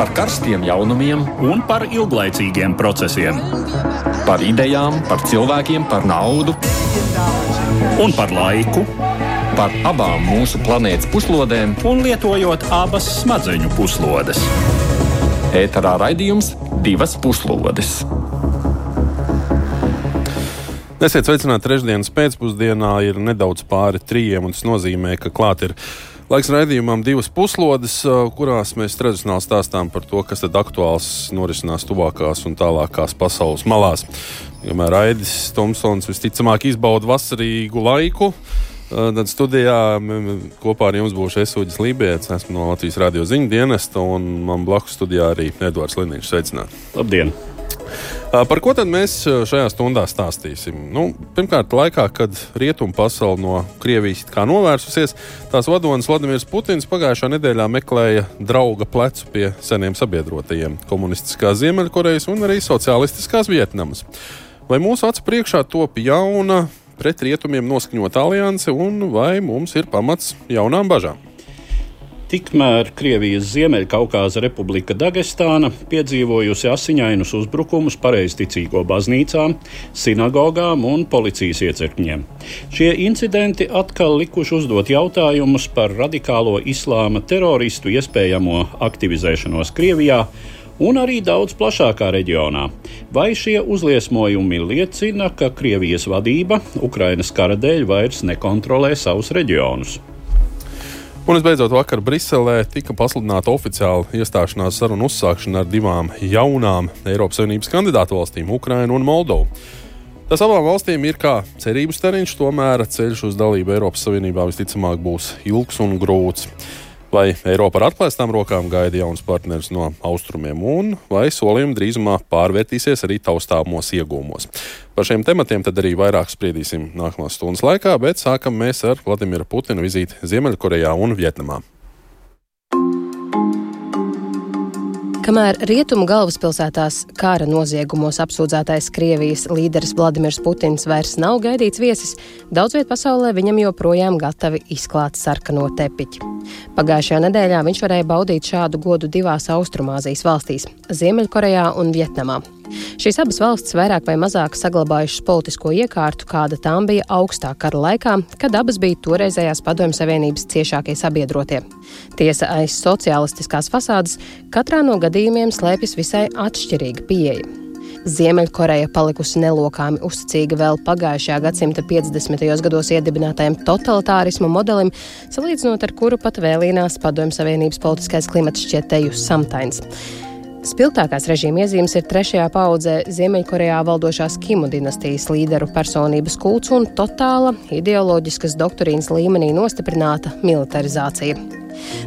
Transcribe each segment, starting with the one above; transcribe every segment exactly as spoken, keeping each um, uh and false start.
Par karstiem jaunumiem un par ilglaicīgiem procesiem. Par idejām, par cilvēkiem, par naudu un par laiku. Par abām mūsu planētas puslodēm un lietojot abas smadzeņu puslodes. Ēterā raidījums Divas puslodes. Esiet sveicināti trešdienas pēcpusdienā, ir nedaudz pāri trījiem, un tas nozīmē, ka klāt ir laiks raidījumam Divas puslodes, kurās mēs tradicionāli stāstām par to, kas tad aktuāls norisinās tuvākās un tālākās pasaules malās. Kamēr Aidis Tomsons visticamāk izbauda vasarīgu laiku, tad studijā kopā ar jums būšu es, Uģis Lībijams, esmu no Latvijas radio ziņu dienesta, un man blakus studijā arī Eduards Liniņš. Sveicināti! Labdien! Par ko tad mēs šajā stundā stāstīsim? Nu, pirmkārt, laikā, kad rietumu pasauli no Krievijas kā novērsusies, tās vadonis Vladimirs Putins pagājušā nedēļā meklēja drauga plecu pie seniem sabiedrotajiem - komunistiskās Ziemeļkorejas un arī sociālistiskās Vietnamas. Vai mūsu acu priekšā top jauna pret rietumiem noskaņota alianse, un vai mums ir pamats jaunām bažām? Tikmēr Krievijas Ziemeļkaukāza Republika Dagestāna piedzīvojusi asiņainus uzbrukumus pareizticīgo baznīcām, sinagogām un policijas iecirkņiem. Šie incidenti atkal likuši uzdot jautājumus par radikālo islāma teroristu iespējamo aktivizēšanos Krievijā un arī daudz plašākā reģionā. Vai šie uzliesmojumi liecina, ka Krievijas vadība Ukrainas kara dēļ vairs nekontrolē savus reģionus? Un visbeidzot, vakar Briselē tika pasludināta oficiāla iestāšanās sarunu uzsākšana ar divām jaunām Eiropas Savienības kandidātu valstīm - Ukrainu un Moldovu. Tas abām valstīm ir kā cerības stariņš, tomēr ceļš uz dalību Eiropas Savienībā visticamāk būs ilgs un grūts. Vai Eiropa ar atklāstām rokām gaida jauns partneris no austrumiem, un vai solījumi drīzumā pārvērtīsies arī taustāmos iegūmos? Par šiem tematiem tad arī vairāk spriedīsim nākamās stundas laikā, bet sākam mēs ar Vladimira Putina vizīti Ziemeļkorejā un Vietnamā. Kamēr rietumu galvaspilsētās kara noziegumos apsūdzētais Krievijas līderis Vladimirs Putins vairs nav gaidīts viesis, daudz viet pasaulē viņam joprojām gatavi izklāt sarkano tepiķi. Pagājušajā nedēļā viņš varēja baudīt šādu godu divās Austrumāzijas valstīs - Ziemeļkorejā un Vietnamā. Šīs abas valstis vairāk vai mazāk saglabājušas politisko iekārtu, kāda tām bija augstā kara laikā, kad abas bija toreizējās Padomju Savienības ciešākie sabiedrotie. Tiesa, aiz sociālistiskās fasādes katrā no gadījumiem slēpjas visai atšķirīga pieeja. Ziemeļkoreja palikusi nelokāmi uzticīga vēl pagājušajā gadsimta piecdesmitajos gados iedibinātajam totalitārisma modelim, salīdzinot ar kuru pat vēlīnās Padomju Savienības politiskais klimats šķiet teju samtains. Spilgtākās režīma iezīmes ir trešajā paudzē Ziemeļkorejā valdošās Kimu dinastijas līderu personības kults un totāla ideoloģiskas doktrīnas līmenī nostiprināta militarizācija.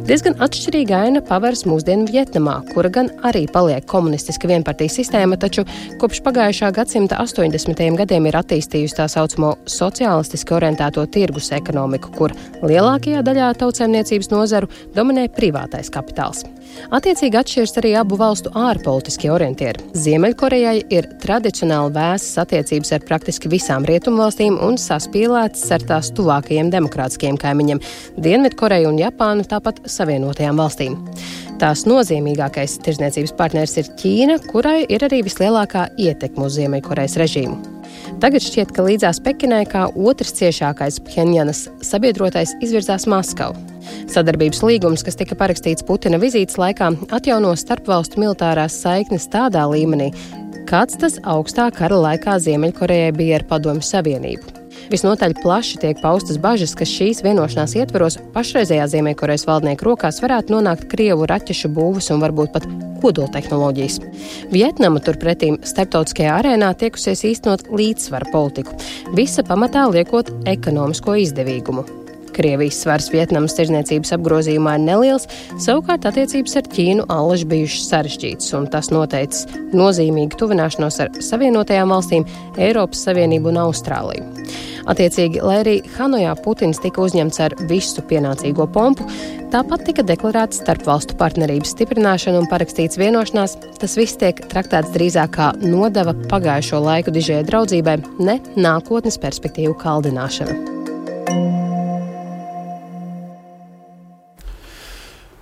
Diezgan atšķirīga aina paveras mūsdienu Vietnamā, kura gan arī paliek komunistiska vienpartijas sistēma, taču kopš pagājušā gadsimta astoņdesmitajiem gadiem ir attīstījusi tā saucamo sociālistiski orientēto tirgus ekonomiku, kur lielākajā daļā tautsēmniecības nozaru dominē privātais kapitāls. Attiecīgi atšķiras arī abu valstu ārpolitiskie orientieri. Ziemeļkorejai ir tradicionāli vēsas attiecības ar praktiski visām rietumvalstīm un saspīlētas ar tās tuvākajiem demokrātiskajiem kaimiņiem - Dienvidkoreju un Japānu, tāpat Savienotajām valstīm. Tās nozīmīgākais tirdzniecības partneris ir Ķīna, kurai ir arī vislielākā ietekme uz Ziemeļkorejas režīmu. Tagad šķiet, ka līdzās Pekinai kā otrs ciešākais Phenjanas sabiedrotais izvirzās Maskavu. Sadarbības līgums, kas tika parakstīts Putina vizītes laikā, atjauno starpvalstu militārās saiknes tādā līmenī, kāds tas augstā kara laikā Ziemeļkorejai bija ar Padomju Savienību. Visnotaļ plaši tiek paustas bažas, ka šīs vienošanās ietveros pašreizējā Ziemeļkorejas valdnieku rokās varētu nonākt Krievu raķešu būvas un varbūt pat kodoltehnoloģijas. Vietnama turpretīm starptautiskajā arēnā tiekusies īstenot līdzsvara politiku, visa pamatā liekot ekonomisko izdevīgumu. Krievijas svars Vietnamas tirdzniecības apgrozījumā ir neliels, savukārt attiecības ar Ķīnu allaž bijušas sarežģītas, un tas noteicis nozīmīgu tuvināšanos ar Savienotajām valstīm, Eiropas Savienību un Austrāliju. Attiecīgi, lai arī Hanojā Putins tika uzņemts ar visu pienācīgo pompu, tāpat tika deklarēts starpvalstu partnerības stiprināšana un parakstīts vienošanās, tas viss tiek traktēts drīzāk kā nodeva pagājušo laiku dižajai draudzībai, ne nākotnes perspektīvu kaldināšana.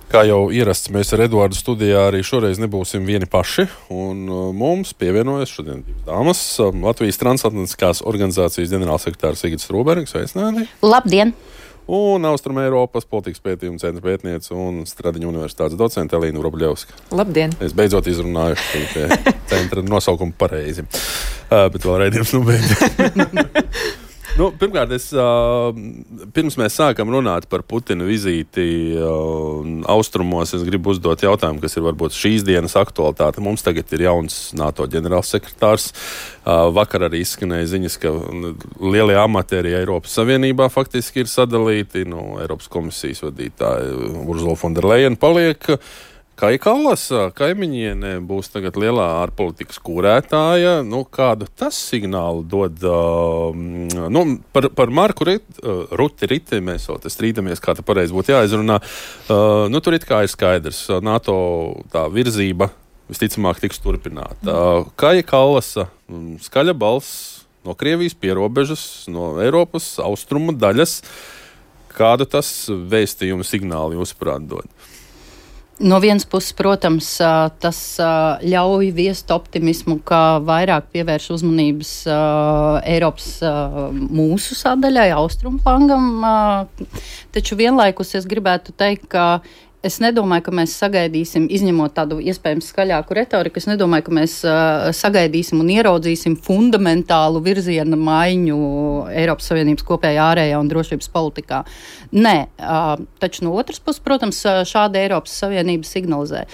Kā jau ierasts, mēs ar Eduardu studijā arī šoreiz nebūsim vieni paši, un mums pievienojas šodien divas dāmas. Latvijas transatlantiskās organizācijas ģenerālsekretārs Sigita Strūbergs, sveicināti. Labdien! Un Austrum Eiropas politikas pētījuma centra pētniece un Stradiņu universitātes docente Elīna Vrobļevska. Labdien! Es beidzot izrunāju šo centra nosaukumu pareizi, uh, bet vēl raidījums nu beidz. Nu, pirmkārt, es, uh, pirms mēs sākam runāt par Putina vizīti uh, austrumos, es gribu uzdot jautājumu, kas ir varbūt šīs dienas aktualitāte. Mums tagad ir jauns NATO ģenerālsekretārs. Uh, vakar arī izskanēja ziņas, ka lielie amati arī Eiropas Savienībā faktiski ir sadalīti. Nu, Eiropas komisijas vadītāja Ursula von der Leyen paliek. Kaja Kallas, kaimiņiene, būs tagad lielā ārpolitikas kūrētāja. Nu, kādu tas signālu dod? Uh, nu, par, par Marku Rit, uh, Ruti Riti mēs vēl te strīdamies, kā te pareizi būtu jāizrunā. Uh, nu, tur it kā ir skaidrs. NATO tā virzība visticamāk tiks turpināta. Uh, Kaja Kallas, skaļa balss no Krievijas pierobežas, no Eiropas austrumu daļas. Kādu tas vēstījumu signālu jūsuprāt dod? No vienas puses, protams, tas ļauj viest optimismu, ka vairāk pievērš uzmanības Eiropas mūsu sadaļai, austrumu flangam, taču vienlaikus es gribētu teikt, ka es nedomāju, ka mēs sagaidīsim, izņemot tādu iespējams skaļāku retoriku, es nedomāju, ka mēs uh, sagaidīsim un ieraudzīsim fundamentālu virziena maiņu Eiropas Savienības kopējā ārējā un drošības politikā. Nē, uh, taču no otras puses, protams, šāda Eiropas Savienība signalizē.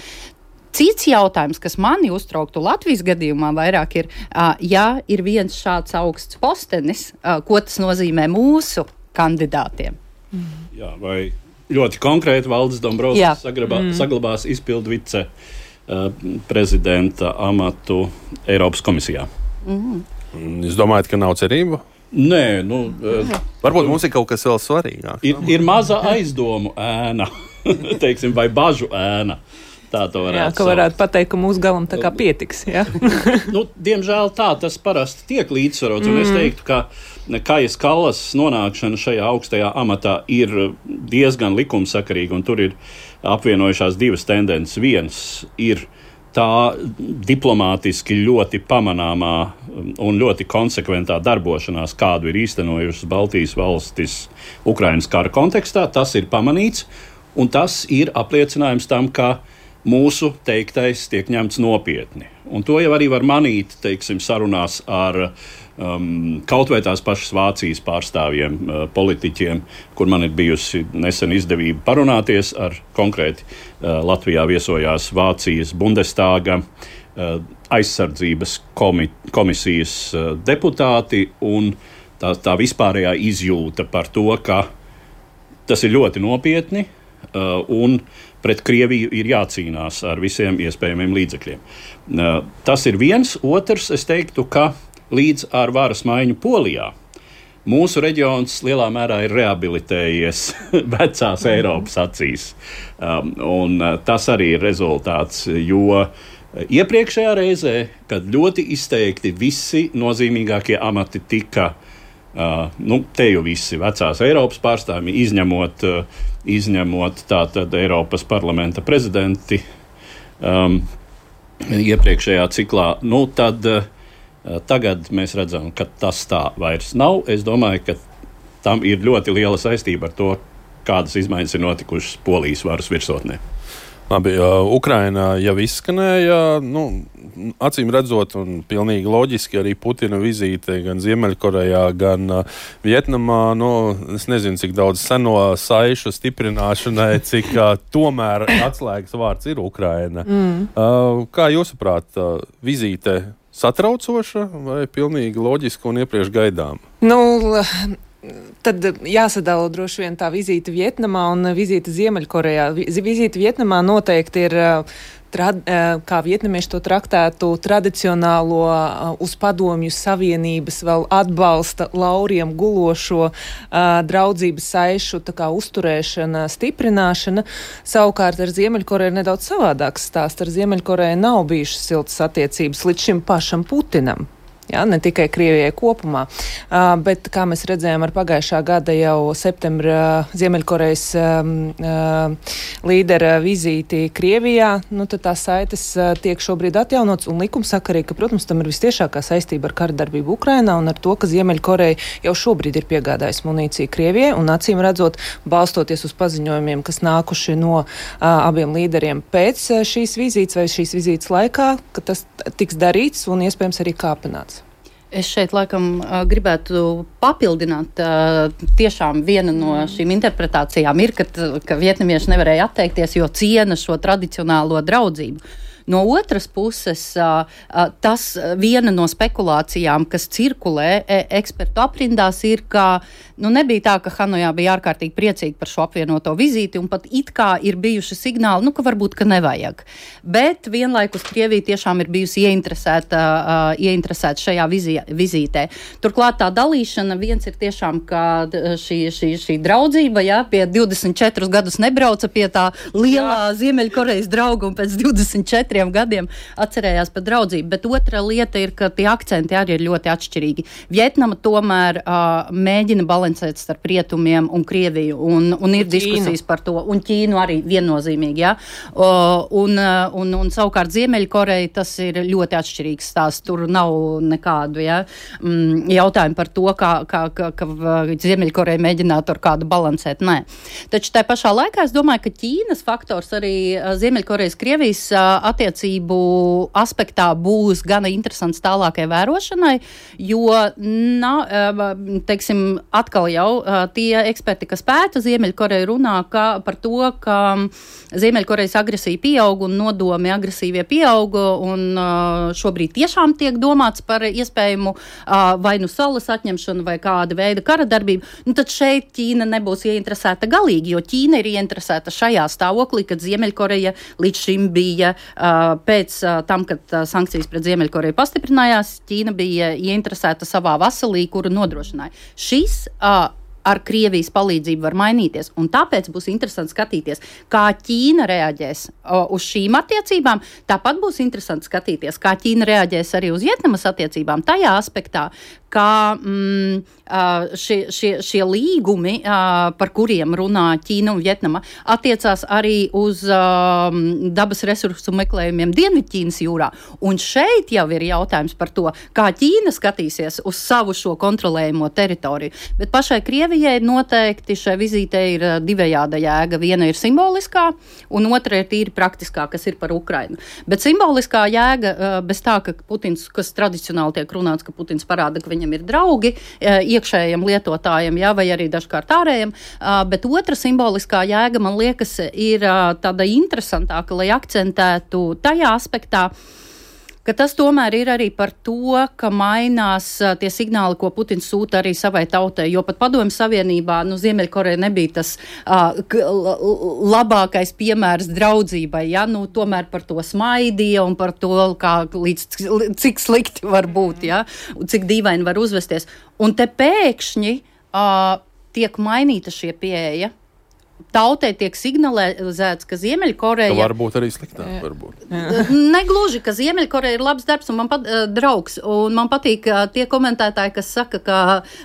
Cits jautājums, kas mani uztrauktu Latvijas gadījumā vairāk ir, uh, ja ir viens šāds augsts postenis, uh, ko tas nozīmē mūsu kandidātiem. Mm. Jā, vai ļoti konkrēti Valdis Dombrovskis saglabā, mm. saglabās izpildu vice uh, prezidenta amatu Eiropas komisijā. Mm. Jūs domājat, ka nav cerība? Nē, nu... Uh, Varbūt mums ir kaut kas vēl svarīgāk. Ir, ir maza aizdomu ēna, teiksim, vai bažu ēna. Tā to varētu jā, ka varētu pateikt, ka mūsu galam tā kā pietiks. Ja? nu, diemžēl tā tas parasti tiek līdzsvarots, un mm. es teiktu, ka Kajas Kallas nonākšana šajā augstajā amatā ir diezgan likumsakarīga, un tur ir apvienojušās divas tendences. Viens ir tā diplomātiski ļoti pamanāmā un ļoti konsekventā darbošanās, kādu ir īstenojušas Baltijas valstis Ukrainas kara kontekstā. Tas ir pamanīts, un tas ir apliecinājums tam, ka mūsu teiktais tiek ņemts nopietni. Un to jau arī var manīt, teiksim, sarunās ar um, kaut vai tās pašas Vācijas pārstāvjiem, uh, politiķiem, kur man ir bijusi nesen izdevība parunāties ar konkrēti uh, Latvijā viesojās Vācijas Bundestāga uh, aizsardzības komi- komisijas uh, deputāti, un tā, tā vispārējā izjūta par to, ka tas ir ļoti nopietni, uh, un pret Krieviju ir jācīnās ar visiem iespējamiem līdzekļiem. Uh, tas ir viens. Otrs, es teiktu, ka līdz ar varas maiņu Polijā mūsu reģions lielā mērā ir rehabilitējies vecās Eiropas acīs. Um, un uh, tas arī ir rezultāts, jo iepriekšējā reizē, kad ļoti izteikti visi nozīmīgākie amati tika Uh, nu, te jau visi vecās Eiropas pārstāvji, izņemot, uh, izņemot tātad Eiropas parlamenta prezidenti um, iepriekšējā ciklā, nu, tad uh, tagad mēs redzam, ka tas tā vairs nav. Es domāju, ka tam ir ļoti liela saistība ar to, kādas izmaiņas ir notikušas Polijas varas virsotnē. Labi, uh, Ukraina jau izskanēja, nu, acīm redzot, un pilnīgi loģiski arī Putina vizīte gan Ziemeļkorejā, gan uh, Vietnamā. Nu, es nezinu, cik daudz seno saišu stiprināšanai, cik uh, tomēr atslēgas vārds ir Ukraina. Mm. Uh, kā jūsuprāt, uh, vizīte satraucoša vai pilnīgi loģiska un iepriekš gaidām? Nu, tad jāsadala droši vien tā vizīte Vietnamā un vizīte Ziemeļkorejā. Vizīte Vietnamā noteikti ir, trad, kā vietnamieši to traktētu, tradicionālo uz padomju savienības vēl atbalsta lauriem gulošo draudzības saišu tā kā uzturēšana, stiprināšana. Savukārt ar Ziemeļkoreju ir nedaudz savādāks stāsts. Ar Ziemeļkoreju nav bijušas siltas attiecības līdz šim pašam Putinam. Jā, ne tikai Krievijai kopumā, uh, bet, kā mēs redzējām ar pagājušā gada jau septembra Ziemeļkorejas um, uh, līdera vizīti Krievijā, nu tad tās saites uh, tiek šobrīd atjaunots un likumsakarīgi, ka, protams, tam ir visciešākā saistība ar karadarbību Ukrainā un ar to, ka Ziemeļkoreja jau šobrīd ir piegādājusi munīciju Krievijai un acīm redzot, balstoties uz paziņojumiem, kas nākuši no uh, abiem līderiem pēc uh, šīs vizītes vai šīs vizītes laikā, ka tas tiks darīts un iespējams arī kāpināts. Es šeit laikam gribētu papildināt, tiešām viena no šīm interpretācijām ir, ka, ka vietnamieši nevarēja atteikties, jo ciena šo tradicionālo draudzību. No otras puses, tas viena no spekulācijām, kas cirkulē ekspertu aprindās, ir, ka nu, nebija tā, ka Hanojā bija ārkārtīgi priecīgi par šo apvienoto vizīti, un pat it kā ir bijuši signāli, nu, ka varbūt, ka nevajag. Bet vienlaikus Krievija tiešām ir bijusi ieinteresēta, ieinteresēta šajā vizī, vizītē. Turklāt tā dalīšana viens ir tiešām, ka šī, šī, šī draudzība, jā, pie divdesmit četrus gadus nebrauca pie tā lielā jā. Ziemeļkorejas drauga un pēc divdesmit četriem gadiem atcerējās par draudzību, bet otra lieta ir, ka tie akcenti arī ir ļoti atšķirīgi. Vietnama tomēr uh, mēģina balansēt starp rietumiem un Krieviju, un, un ir diskusijas par to, un Ķīnu arī viennozīmīgi, jā. Uh, un, uh, un, un savukārt Ziemeļkoreja tas ir ļoti atšķirīgs stāsts, tur nav nekādu, jā, mm, jautājumu par to, kā, kā, kā, ka Ziemeļkoreja mēģinātu ar kādu balansēt, nē. Taču tā pašā laikā es domāju, ka Ķīnas faktors arī Ziemeļkorejas Krievijas uh, attiecību aspektā būs gana interesants tālākai vērošanai, jo, na, teiksim, atkal jau tie eksperti, kas pēta Ziemeļkoreju, runā ka, par to, ka Ziemeļkorejas agresija pieauga un nodomi agresīvie pieauga, un šobrīd tiešām tiek domāts par iespējamu vai nu salas atņemšanu vai kāda veida kara darbību, nu tad šeit Ķīna nebūs ieinteresēta galīgi, jo Ķīna ir ieinteresēta šajā stāvoklī, kad Ziemeļkoreja līdz šim bija pēc tam, kad sankcijas pret Ziemeļkoreju pastiprinājās, Ķīna bija ieinteresēta savā vasalī, kuru nodrošināja. Šis uh, ar Krievijas palīdzību var mainīties, un tāpēc būs interesanti skatīties, kā Ķīna reaģēs uh, uz šīm attiecībām, tāpat būs interesanti skatīties, kā Ķīna reaģēs arī uz Vietnamas attiecībām, tajā aspektā, kā mm, šie, šie, šie līgumi, par kuriem runā Ķīna un Vietnama, attiecās arī uz um, dabas resursu meklējumiem Dienvidķīnas jūrā. Un šeit jau ir jautājums par to, kā Ķīna skatīsies uz savu šo kontrolējumu teritoriju. Bet pašai Krievijai noteikti šai vizītei ir divējāda jēga. Viena ir simboliskā, un otra ir tīri praktiskā, kas ir par Ukrainu. Bet simboliskā jēga bez tā, ka Putins, kas tradicionāli tiek runāts, ka Putins parāda, ka viņam ir draugi iekšējiem lietotājiem, jā, vai arī dažkārt ārējiem, bet otra simboliskā jēga, man liekas, ir tāda interesantāka, lai akcentētu tajā aspektā, ka tas tomēr ir arī par to, ka mainās tie signāli, ko Putins sūta arī savai tautai, jo pat Padomju Savienībā, nu, Ziemeļkoreja nebija tas uh, labākais piemērs draudzībai, ja, nu, tomēr par to smaidīja un par to, kā līdz cik slikti var būt, ja, un cik dīvaini var uzvesties. Un te pēkšņi uh, tiek mainīta šie pieeja. Tautai tiek signalizēts, ka Ziemeļkoreja... Ka varbūt arī sliktāk, varbūt. Negluži, ka Ziemeļkoreja ir labs darbs un man pat, uh, draugs. Un man patīk uh, tie komentētāji, kas saka, ka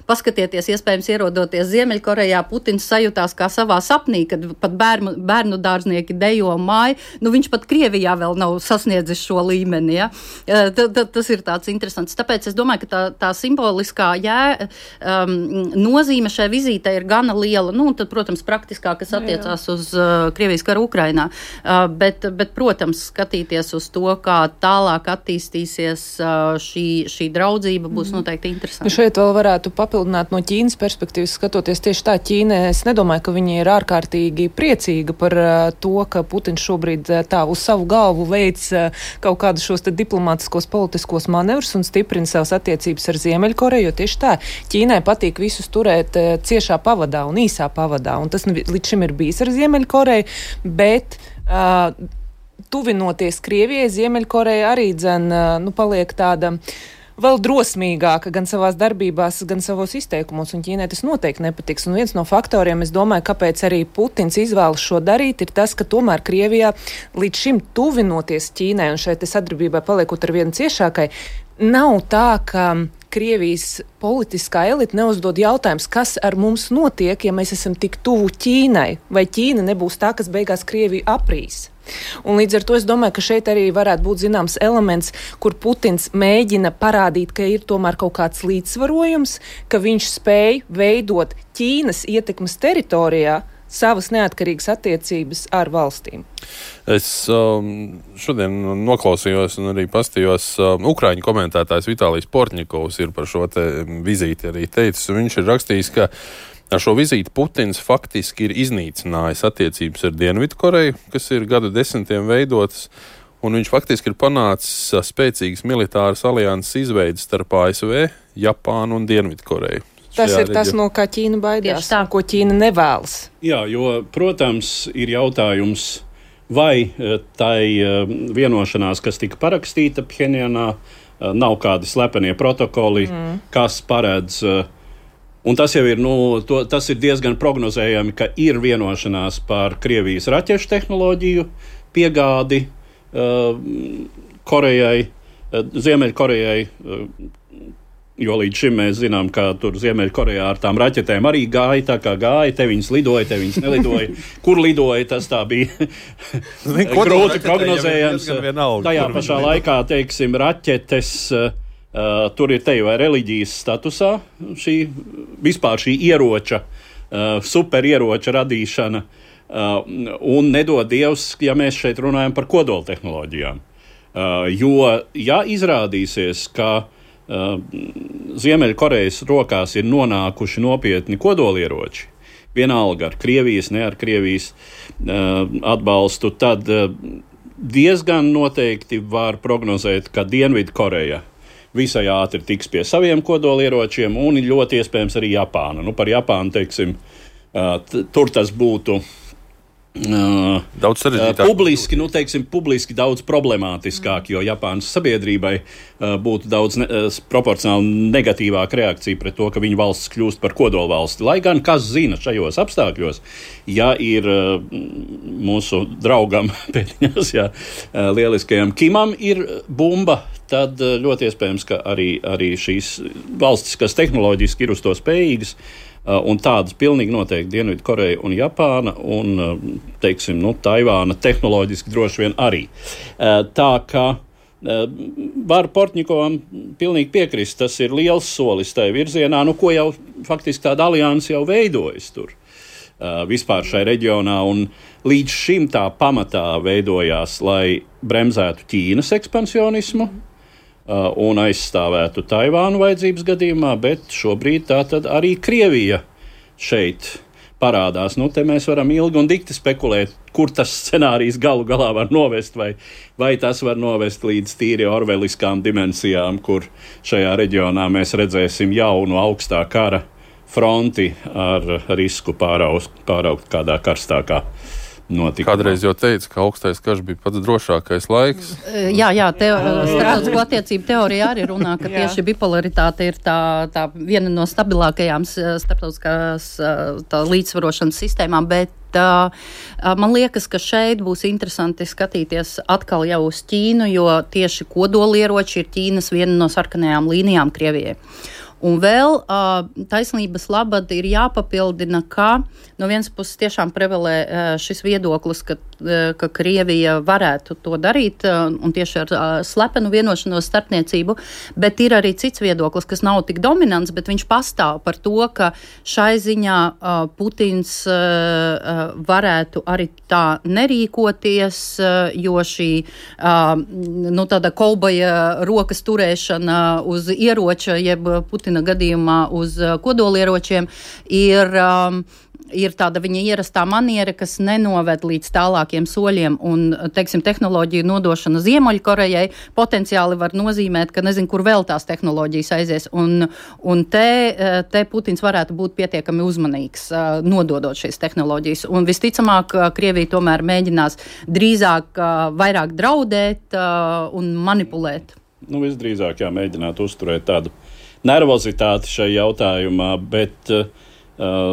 paskatieties, iespējams ierodoties Ziemeļkorejā, Putins sajūtās kā savā sapnī, kad pat bērnu, bērnu dārznieki dejo māju. Nu, viņš pat Krievijā vēl nav sasniedzis šo līmeni, ja? Uh, t, t, tas ir tāds interesants. Tāpēc es domāju, ka tā, tā simboliskā jā, um, nozīme šai vizītei ir gana liela. Nu, un tad, protams, praktiskā, kas attiecās uz uh, Krievijas karu Ukrainā. Uh, bet, bet, protams, skatīties uz to, kā tālāk attīstīsies uh, šī, šī draudzība, būs noteikti interesanti. Šeit vēl varētu papildināt no Ķīnas perspektīvas, skatoties tieši tā Ķīna. Es nedomāju, ka viņi ir ārkārtīgi priecīga par uh, to, ka Putins šobrīd uh, tā uz savu galvu veic uh, kaut kādus šos te diplomātiskos politiskos manevrus un stiprina savas attiecības ar Ziemeļkoreju, jo tieši tā Ķīnai patīk visus turēt uh, ciešā pavadā un īsā pavadā. Un tas līdz šim ir bijis ar Ziemeļkoreju, bet uh, tuvinoties Krievijai, Ziemeļkoreja arī dzen, uh, nu, paliek tāda vēl drosmīgāka gan savās darbībās, gan savos izteikumos, un Ķīnai tas noteikti nepatiks. Un viens no faktoriem, es domāju, kāpēc arī Putins izvēlas šo darīt, ir tas, ka tomēr Krievijā līdz šim tuvinoties Ķīnai un šeit sadarbībai paliekot ar vienu ciešākai, nav tā, ka Krievijas politiskā elite neuzdod jautājums, kas ar mums notiek, ja mēs esam tik tuvu Ķīnai, vai Ķīna nebūs tā, kas beigās Krieviju aprīs. Un līdz ar to es domāju, ka šeit arī varētu būt zināms elements, kur Putins mēģina parādīt, ka ir tomēr kaut kāds līdzsvarojums, ka viņš spēj veidot Ķīnas ietekmes teritorijā savas neatkarīgas attiecības ar valstīm. Es um, šodien noklausījos un arī pastījos, um, Ukraiņu komentētājs Vitālijs Portņikovs ir par šo te vizīti arī teicis, un viņš ir rakstījis, ka ar šo vizīti Putins faktiski ir iznīcinājis attiecības ar Dienvidkoreju, kas ir gadu desmitiem veidotas, un viņš faktiski ir panācis spēcīgas militāras alianses izveidas starp A S V, Japānu un Dienvidkoreju. Tas ir tas, no kā Ķīna baidās, ko Ķīna nevēlas. Jā, jo, protams, ir jautājums, vai tai vienošanās, kas tika parakstīta Phenjanā, nav kādi slepenie protokoli, mm. kas paredz, un tas jau ir, nu, to, tas ir diezgan prognozējami, ka ir vienošanās par Krievijas raķešu tehnoloģiju piegādi uh, Korejai, uh, Ziemeļkorejai, uh, jo līdz šim mēs zinām, ka tur Ziemeļkorejā ar tām raķetēm arī gāja, tā kā gāja, te viņas lidoja, te viņas nelidoja. Kur lidoja, tas tā bija grūti prognozējams. Tajā pašā laikā, teiksim, raķetes, uh, tur ir te vai reliģijas statusā, šī, vispār šī ieroča, uh, superieroča radīšana, uh, un nedod Dievs, ja mēs šeit runājam par kodoltehnoloģijām. Uh, jo, ja izrādīsies, ka Uh, Ziemeļkorejas rokās ir nonākuši nopietni kodolieroči, vienalga ar Krievijas, ne ar Krievijas uh, atbalstu, tad uh, diezgan noteikti var prognozēt, ka Dienvidkoreja visai ātri tiks pie saviem kodolieročiem, un ļoti iespējams arī Japāna. Nu, par Japānu, teiksim, uh, t- tur tas būtu Uh, daudz sarežģītāk. Uh, publiski, nu, teiksim, publiski daudz problemātiskāk, jo Japānas sabiedrībai uh, būtu daudz ne, uh, proporcionāli negatīvāka reakcija pret to, ka viņa valsts kļūst par kodolvalsti. Lai gan, kas zina šajos apstākļos, ja ir uh, mūsu draugam pēdiņās, ja uh, lieliskajam Kimam ir bumba, tad uh, ļoti iespējams, ka arī, arī šīs valstis, kas tehnoloģiski ir uz to spējīgas, Uh, un tādas pilnīgi noteikti Dienvidkoreja un Japāna un, uh, teiksim, nu, Taivāna tehnoloģiski droši vien arī. Uh, tā kā uh, var Portņikovam pilnīgi piekrist, tas ir liels solis tajā virzienā, nu, ko jau faktiski tāda alianse jau veidojas tur uh, vispār šai reģionā, un līdz šim tā pamatā veidojās, lai bremzētu Ķīnas ekspansionismu, Uh, un aizstāvētu Taivānu vajadzības gadījumā, bet šobrīd tā tad arī Krievija šeit parādās. Nu, te mēs varam ilgi un dikti spekulēt, kur tas scenārijs galu galā var novest, vai, vai tas var novest līdz tīri orveliskām dimensijām, kur šajā reģionā mēs redzēsim jaunu augstā kara fronti ar risku pāraugt, pāraugt kādā karstākā notikumā. Kādreiz jau teica, ka augstais karš bija pats drošākais laiks. Jā, jā, te, starptautisko attiecību teorija arī runā, ka tieši bipolaritāte ir tā, tā viena no stabilākajām starptautiskās tā līdzsvarošanas sistēmām, bet uh, man liekas, ka šeit būs interesanti skatīties atkal jau uz Ķīnu, jo tieši kodolieroči ir Ķīnas viena no sarkanajām līnijām Krievijai. Un vēl uh, taisnības labad ir jāpapildina, ka no vienas puses tiešām prevalē uh, šis viedoklis, ka, uh, ka Krievija varētu to darīt uh, un tieši ar uh, slepenu vienošanos starpniecību, bet ir arī cits viedoklis, kas nav tik dominants, bet viņš pastāv par to, ka šai ziņā uh, Putins uh, uh, varētu arī tā nerīkoties, uh, jo šī uh, nu, tāda kolbaja rokas turēšana uz ieroča, jeb Putina gadījumā uz kodolieročiem ir, um, ir tāda viņa ierastā maniera, kas nenoved līdz tālākiem soļiem, un, teiksim, tehnoloģiju nodošana Ziemeļkorejai potenciāli var nozīmēt, ka nezinu, kur vēl tās tehnoloģijas aizies, un, un te, te Putins varētu būt pietiekami uzmanīgs, nododot šīs tehnoloģijas, un visticamāk Krievija tomēr mēģinās drīzāk vairāk draudēt un manipulēt. Nu, visdrīzāk jā, mēģināt uzturēt tādu nervozitāti šajā jautājumā, bet uh,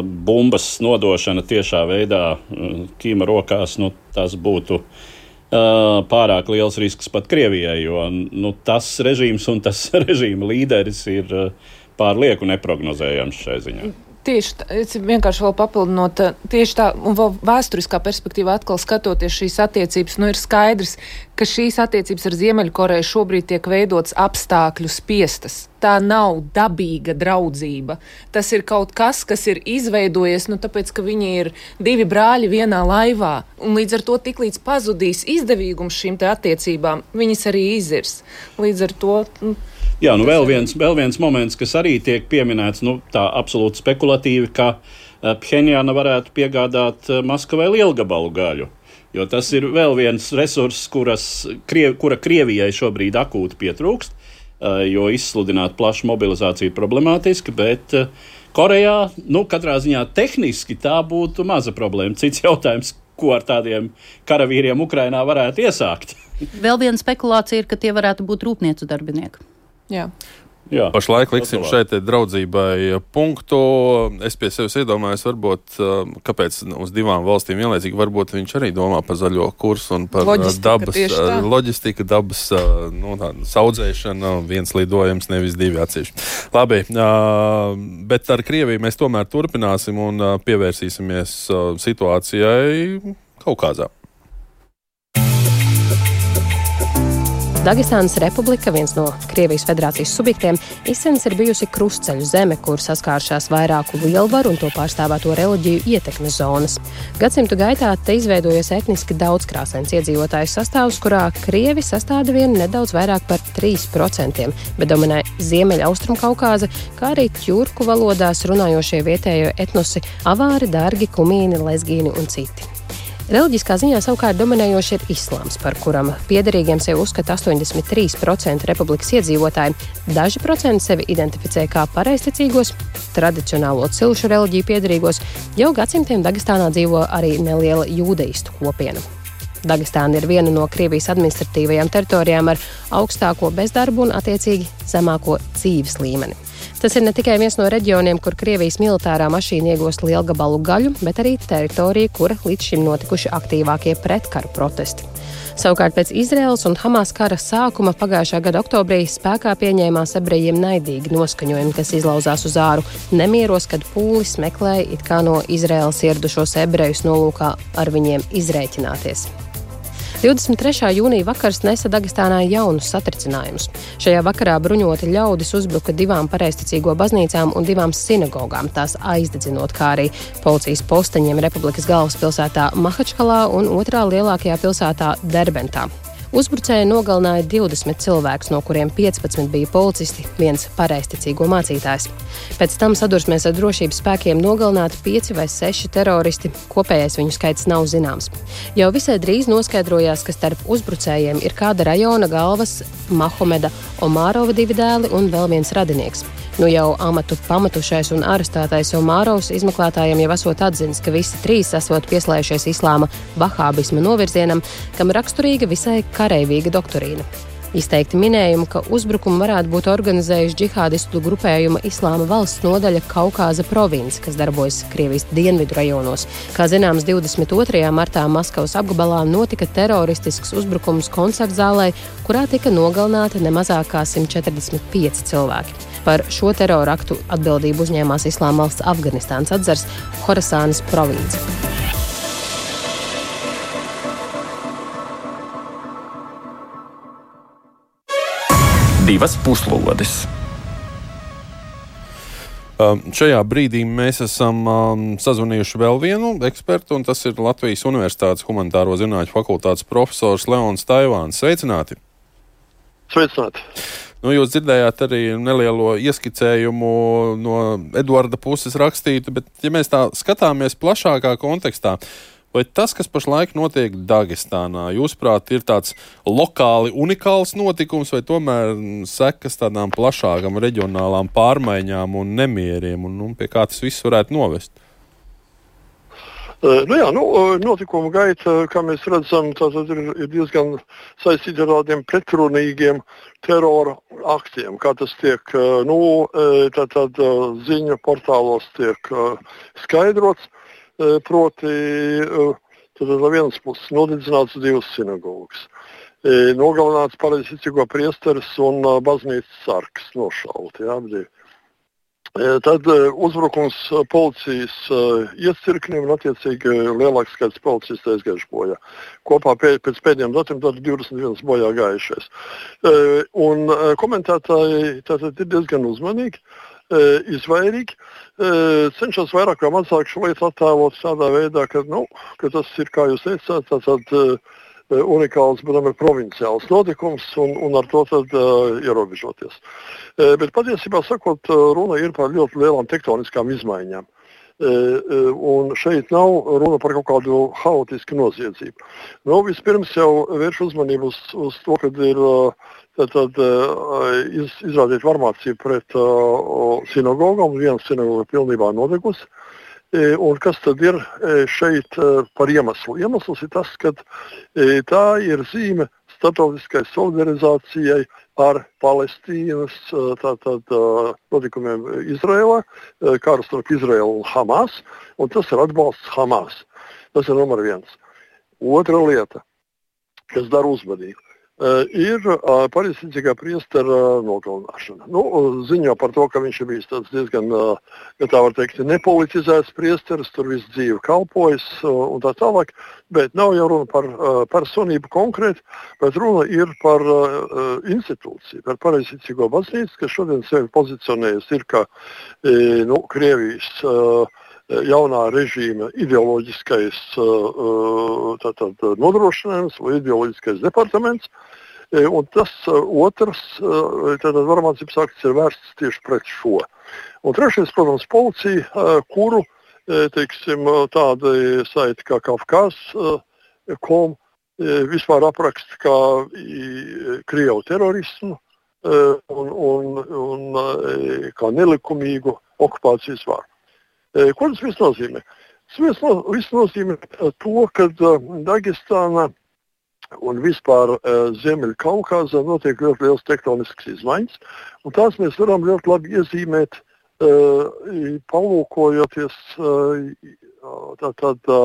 bumbas nodošana tiešā veidā uh, Kīma rokās, nu, tas būtu uh, pārāk liels risks pat Krievijai, jo nu, tas režīms un tas režīma līderis ir uh, pārlieku neprognozējams šai ziņā. Tieši tā, es vienkārši vēl papildinot, tieši tā, un vēl vēsturiskā perspektīvā atkal skatoties šīs attiecības, nu ir skaidrs, ka šīs attiecības ar Ziemeļkoreju šobrīd tiek veidots apstākļu spiestas. Tā nav dabīga draudzība. Tas ir kaut kas, kas ir izveidojies, nu tāpēc, ka viņi ir divi brāļi vienā laivā, un līdz ar to tiklīdz pazudīs izdevīgums šīm te attiecībām, viņas arī izirs. Līdz ar to... Nu, Jā, nu vēl viens, vēl viens moments, kas arī tiek pieminēts, nu tā absolūti spekulatīvi, ka Phenjana varētu piegādāt Maskavai lielgabalu gaļu, jo tas ir vēl viens resurss, kuras, kura Krievijai šobrīd akūti pietrūkst, jo izsludināt plašu mobilizāciju ir problemātiski, bet Korejā, nu katrā ziņā tehniski tā būtu maza problēma. Cits jautājums, ko ar tādiem karavīriem Ukrainā varētu iesākt. Vēl viena spekulācija ir, ka tie varētu būt rūpnieku darbinieki. Jā. Jā, pašlaik liksim šeit draudzībai punktu. Es pie sevis iedomājos, varbūt, kāpēc uz divām valstīm vienlaicīgi, varbūt viņš arī domā par zaļo kursu un par loģistika, dabas, loģistika, dabas nu, saudzēšanu, viens lidojums, nevis divi atsevišķi. Labi, bet ar Krieviju mēs tomēr turpināsim un pievērsīsimies situācijai Kaukazā. Dagestānas republika, viens no Krievijas federācijas subjektiem, izcens ir bijusi krustceļu zeme, kur saskāršās vairāku lielvaru un to pārstāvēto reliģiju ietekmes zonas. Gadsimtu gaitā te izveidojies etniski daudzkrāsains iedzīvotāju sastāvs, kurā krievi sastāda vien nedaudz vairāk par trīs procentiem, bet dominē Ziemeļa Austrumkaukāza, kā arī tjurku valodās runājošie vietējo etnosi avāri, dargi, kumīni, lezgīni un citi. Reliģiskā ziņā savukārt dominējoši ir islāms, par kuram piederīgiem sevi uzskata astoņdesmit trīs procenti republikas iedzīvotāji. Daži procenti sevi identificē kā pareizticīgos, tradicionālo cilšu reliģiju piederīgos. Jau gadsimtiem Dagestānā dzīvo arī neliela jūdeistu kopiena. Dagestāna ir viena no Krievijas administratīvajām teritorijām ar augstāko bezdarbu un attiecīgi zemāko dzīves līmeni. Tas ir ne tikai viens no reģioniem, kur Krievijas militārā mašīna iegūst lielgabalu gaļu, bet arī teritorija, kura līdz šim notikuši aktīvākie pretkaru protesti. Savukārt pēc Izraēlas un Hamas kara sākuma pagājušā gada oktobrī spēkā pieņēmās ebrejiem naidīgi noskaņojumi, kas izlauzās uz āru nemieros, kad pūlis meklēja it kā no Izraēlas ieradušos ebrejus nolūkā ar viņiem izrēķināties. divdesmit trešā jūnija vakars nesa Dagestānā jaunus satricinājumus. Šajā vakarā bruņoti ļaudis uzbruka divām pareizticīgo baznīcām un divām sinagogām, tās aizdedzinot, kā arī policijas posteņiem republikas galvaspilsētā Mahačkalā un otrā lielākajā pilsētā Derbentā. Uzbrucēji nogalināja divdesmit cilvēkus, no kuriem piecpadsmit bija policisti, viens pareizticīgo mācītājs. Pēc tam sadursmēs ar drošības spēkiem nogalināti pieci vai seši teroristi, kopējais viņu skaits nav zināms. Jau visai drīz noskaidrojās, ka starp uzbrucējiem ir kāda rajona galvas Mahomeda Omārova divi dēli un vēl viens radinieks. Nu jau amatu pamatušais un arestētais Omārovs izmeklētājiem jau esot atzinis, ka visi trīs esot pieslējušies islāma vahābisma novirzienam, kam raksturīga visai kareivīga doktrīna. Izteikti minējumi, ka uzbrukumu varētu būt organizējuši džihādistu grupējuma Islāma valsts nodaļa Kaukāza province, kas darbojas Krievijas dienvidu rajonos. Kā zināms, divdesmit otrajā martā Maskavas apgabalā notika teroristisks uzbrukums koncertzālē, kurā tika nogalināti ne mazāk kā simt četrdesmit pieci cilvēki. Par šo teroraktu atbildību uzņēmās Islāma valsts Afganistānas atzars Horasānas province. Divas puslodes. Um, šajā brīdī mēs esam um, sazvanījuši vēl vienu ekspertu, un tas ir Latvijas Universitātes humanitāro zinātņu fakultātes profesors Leons Taivāns. Sveicināti! Sveicināti! Nu, jūs dzirdējāt arī nelielo ieskicējumu no Eduarda puses rakstītu, bet ja mēs tā skatāmies plašākā kontekstā, vai tas, kas pašlaik notiek Dagestānā, jūsuprāt, ir tāds lokāli unikāls notikums, vai tomēr sekas tādām plašākām reģionālām pārmaiņām un nemieriem, un, un pie kā tas viss varētu novest? Uh, nu jā, nu, notikuma gaita, kā mēs redzam, tātad ir, ir diezgan saistīta ar tādiem pretrunīgiem terora aktiem, kā tas tiek, nu, tātad ziņu portālos tiek skaidrots, proti, tātad no vienas puses nodedzināts divas sinagogas, nogalināts pareizticīgo priesteris un baznīcas sargs nošauti, jā, abi. Tad uzbrukums policijas iecirknim un attiecīgi lielāks skaits policistu aizgājuši bojā. Kopā pēc, pēc pēdējiem datiem tad divdesmit viens bojā gājušies. Un komentētāji tātad ir diezgan uzmanīgi, izvairīgi, cenšas vairāk vai mazāk šo lietu attēlot tādā veidā, ka, nu, ka tas ir, kā jūs teicāt, tātad unikāls, bet ir provinciāls notikums un, un ar to tad uh, ierobežoties. Uh, bet patiesībā sakot, uh, runa ir par ļoti lielām tektoniskām izmaiņām. Uh, uh, un šeit nav runa par kaut kādu haotisku noziedzību. Nu, vispirms jau vērš uzmanību uz, uz to, kad ir uh, tad, tad, uh, iz, izrādīt varmācību pret uh, sinagogām, viena sinagoga pilnībā nodegusi. Un kas tad ir šeit par iemeslu? Iemesls ir tas, ka tā ir zīme starptautiskai solidarizācijai ar Palestīnas tātad, notikumiem Izrēlā, karu starp Izrēlu un Hamas, un tas ir atbalsts Hamas. Tas ir numur viens. Otra lieta, kas dara uzmanību, ir pareizticīgā priestera nogalināšana. Nu, ziņo par to, ka viņš ir bijis tāds diezgan, ja tā var teikt, nepolitizēts priesteris, tur visu dzīvi kalpojas un tā tālāk, bet nav jau runa par personību konkrēti, bet runa ir par institūciju, par pareizticīgo baznīcu, kas šodien sevi pozicionējas ir kā, nu, Krievijas jaunā režīma ideoloģiskais tātad, nodrošinājums vai ideoloģiskais departaments. Un tas otrs tātad, varmācības akts ir vērsts tieši pret šo. Un trešais, protams, policija, kuru teiksim, tāda saita kā Kafkas kom vispār apraksta kā Krievu terorismu un, un, un kā nelikumīgu okupācijas varu. Ko tas viss nozīmē? Tas viss nozīmē to, ka Dagestānā un vispār Ziemeļkaukāzā notiek ļoti liels tektonisks izmaiņas, un tās mēs varam ļoti labi iezīmēt, palūkojoties tā, tā,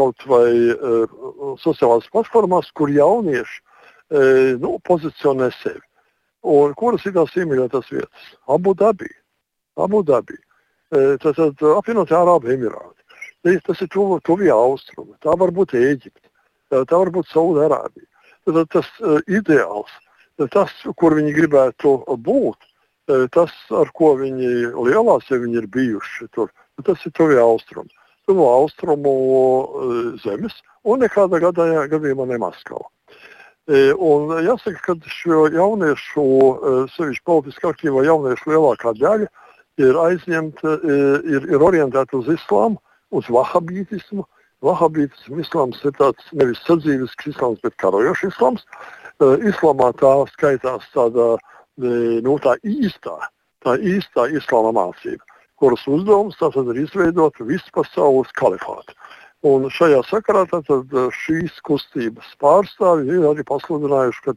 kaut vai sociālās platformās, kur jaunieši nu, pozicionē sevi. Un kuras ir tās iemīļotās vietas? Abu Dabī. Abu Dabī. Tātad apvienotie Arābu Emirāti. Tas ir tuv, tuvie austrumi. Tā var būt Ēģipte. Tā var būt Saudārābija. Tātad tas uh, ideāls, tas, kur viņi gribētu būt, tas, ar ko viņi lielās, ja viņi ir bijuši tur, tas ir tuvie austrumi. Tuvo austrumu uh, zemes un nekādā gadījumā, gadījumā ne Maskava. E, un jāsaka, ka šo jauniešu, sevišķi politiski aktīvo jauniešu lielākā daļa ir aizņemta, ir, ir orientēta uz islāmu, uz vahabītismu. Vahabītismu islāms ir tāds nevis sadzīvisks islāms, bet karojošs islāms. Islamā tā skaitās tāda, nu, tā īstā, tā īstā islāma mācība, kuras uzdevums tātad ir izveidot visu pasaules kalifātu. Un šajā sakarā tātad šīs kustības pārstāvji ir arī pasludinājuši, ka,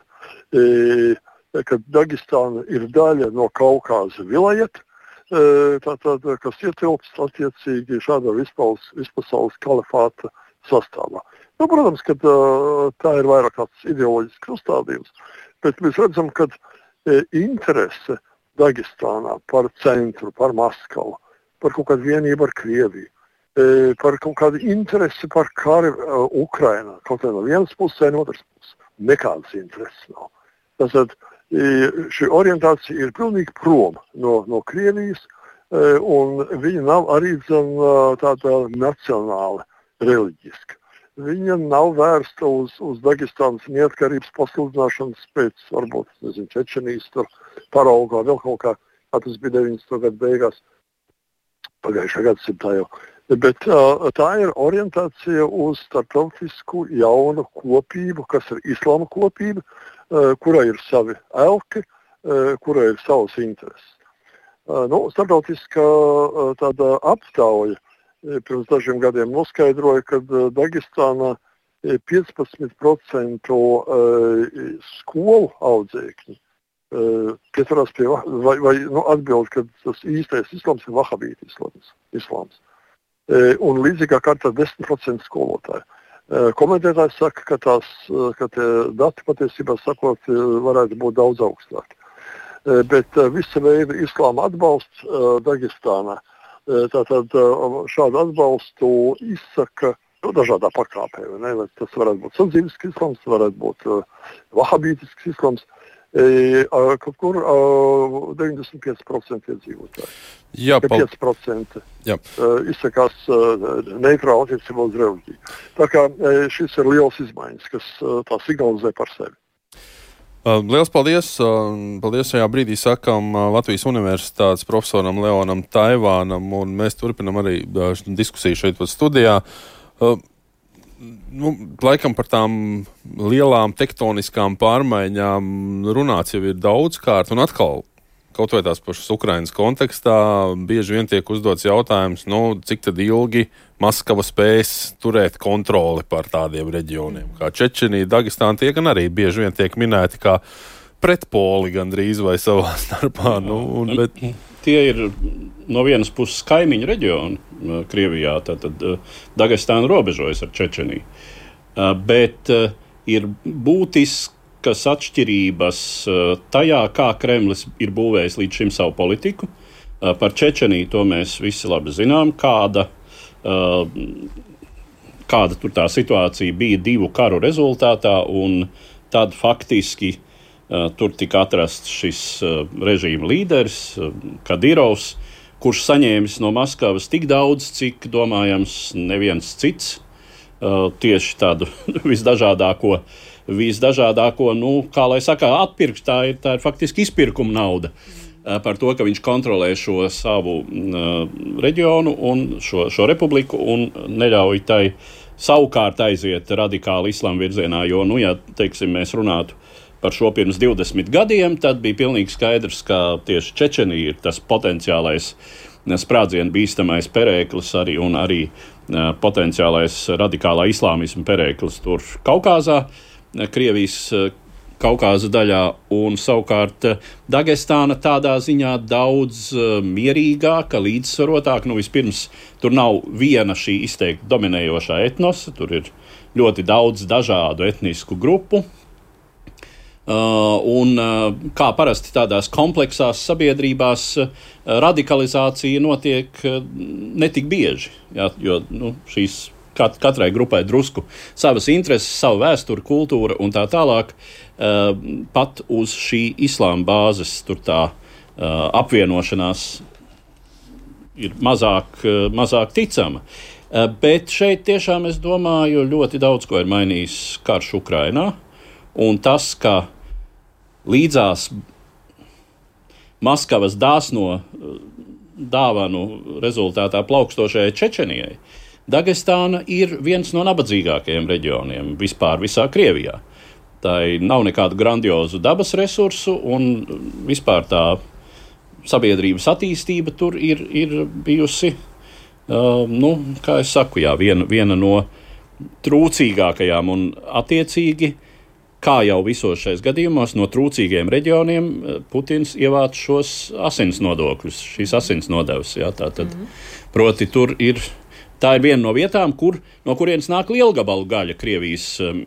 e, ka Dagestāna ir daļa no Kaukāza vilayeta, tātad, kas ietilpst attiecīgi šādā vispaules, vispasaules kalifāta sastāvā. Nu, protams, ka tā ir vairāk tāds ideoloģisks uzstādījums, bet mēs redzam, ka interese Dagestānā par centru, par Maskavu, par kaut kādu vienību ar Krieviju, par kaut kādu interesi par kari Ukrainā, kaut kā no vienas puses, no otras puses. Nekādas intereses nav. Tātad, šī orientācija ir pilnīgi prom no, no Krievijas, un viņa nav arī tāda nacionāla, reliģiska. Viņa nav vērsta uz, uz Dagestānas neatkarības pasludināšanas pēc, varbūt, nezinu, Čečenijas paraugā, vēl kaut kā, kā tas bija deviņdesmito gadu beigās, pagājušā gadsimtā jau. Bet tā ir orientācija uz starptautisku jaunu kopību, kas ir islāma kopība, kurai ir savi elki, kurai ir savas intereses. Nu, starptautiskā tāda aptauja pirms dažiem gadiem noskaidroja, ka Dagestānā piecpadsmit procenti skolu audzēkņi pieturās pie, vai, vai nu, atbild, ka tas īstais islams ir vahabīta islams. islams. Un līdzīgā kārtā desmit procenti skolotāji. Komentētājs saka, ka, tās, ka tie dati patiesībā sakot varētu būt daudz augstāki. Bet visa veida islāma atbalsts Dagestānā. Tātad šādu atbalstu izsaka nu, dažādā pakāpē. Ne? Tas varētu būt sadzīvisks islams, varētu būt uh, vahabītisks islams, e, uh, kaut kur uh, deviņdesmit pieci procenti iedzīvotāji. Jā, pal... pieci procenti Jā. Uh, izsakās uh, neitrāli attiecībā uz reliģiju. Tā kā uh, šis ir liels izmaiņas, kas uh, tā signalizē par sevi. Uh, liels paldies! Uh, paldies šajā brīdī sakam uh, Latvijas Universitātes profesoram Leonam Taivānam, un mēs turpinam arī uh, diskusiju šeit pat studijā. Uh, nu, laikam par tām lielām tektoniskām pārmaiņām runāts jau ir daudzkārt, un atkal kaut vai tās pašas Ukrainas kontekstā bieži vien tiek uzdots jautājums, nu, cik tad ilgi Maskava spēs turēt kontroli par tādiem reģioniem. Kā Čečenija, Dagestāna tie gan arī bieži vien tiek minēti kā pretpoli gandrīz vai savā starpā. Nu, un, bet... Tie ir no vienas puses kaimiņu reģioni Krievijā, tātad Dagestāna robežojas ar Čečeniju. Bet ir būtiskas atšķirības tajā, kā Kremlis ir būvējis līdz šim savu politiku. Par Čečeniju to mēs visi labi zinām, kāda Uh, kāda tur tā situācija bija divu karu rezultātā, un tad faktiski uh, tur tika atrasts šis uh, režīma līderis, uh, Kadirovs, kurš saņēmis no Maskavas tik daudz, cik domājams neviens cits, uh, tieši tādu visdažādāko, visdažādāko, nu, kā lai saka, atpirkt, tā ir, tā ir faktiski izpirkuma nauda. Par to, ka viņš kontrolē šo savu uh, reģionu un šo, šo republiku un neļauj tai savukārt aiziet radikāli islāma virzienā, jo, nu, ja, teiksim, mēs runātu par šo pirms divdesmit gadiem, tad bija pilnīgi skaidrs, ka tieši Čečenija ir tas potenciālais sprādzienu bīstamais perēklis arī un arī uh, potenciālais radikālā islāmisma perēklis tur Kaukāzā, Krievijas uh, Kaukāza daļā, un savukārt Dagestāna tādā ziņā daudz uh, mierīgāka, līdzsvarotāka. Nu, vispirms, tur nav viena šī izteikti dominējošā etnosa, tur ir ļoti daudz dažādu etnisku grupu. Uh, un uh, kā parasti tādās kompleksās sabiedrībās uh, radikalizācija notiek uh, netik bieži, jā, jo nu, šīs kat, katrai grupai drusku savas intereses, savu vēsturi, kultūra un tā tālāk. Uh, pat uz šī islāma bāzes tur tā uh, apvienošanās ir mazāk, uh, mazāk ticama. Uh, bet šeit tiešām, es domāju, ļoti daudz ko ir mainījis karš Ukrainā, un tas, ka līdzās Maskavas dāsno dāvanu rezultātā plaukstošajai Čečenijai, Dagestāna ir viens no nabadzīgākajiem reģioniem vispār visā Krievijā. Tā nav nekādu grandiozu dabas resursu, un vispār tā sabiedrības attīstība tur ir, ir bijusi, uh, nu, kā es saku, jā, viena, viena no trūcīgākajām, un attiecīgi, kā jau visos šais gadījumos, no trūcīgiem reģioniem Putins ievāc šos asins nodokļus, šīs asins nodevas, jā, tātad, mm-hmm. proti tur ir. Tā ir viena no vietām, kur, no kurienes nāk lielgabalu gaļa Krievijas um,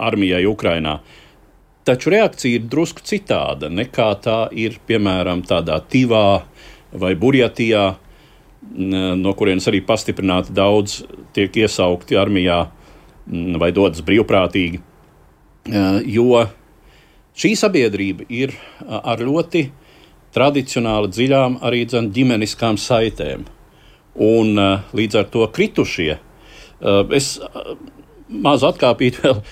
armijai Ukrainā. Taču reakcija ir drusku citāda nekā tā ir, piemēram, tādā Tivā vai Burjatijā, no kurienes arī pastiprināti daudz tiek iesaukti armijā vai dodas brīvprātīgi. Jo šī sabiedrība ir ar ļoti tradicionāli dziļām arī dzen, ģimeniskām saitēm. Un uh, līdz ar to kritušie. Uh, es uh, mazu atkāpīt vēl uh,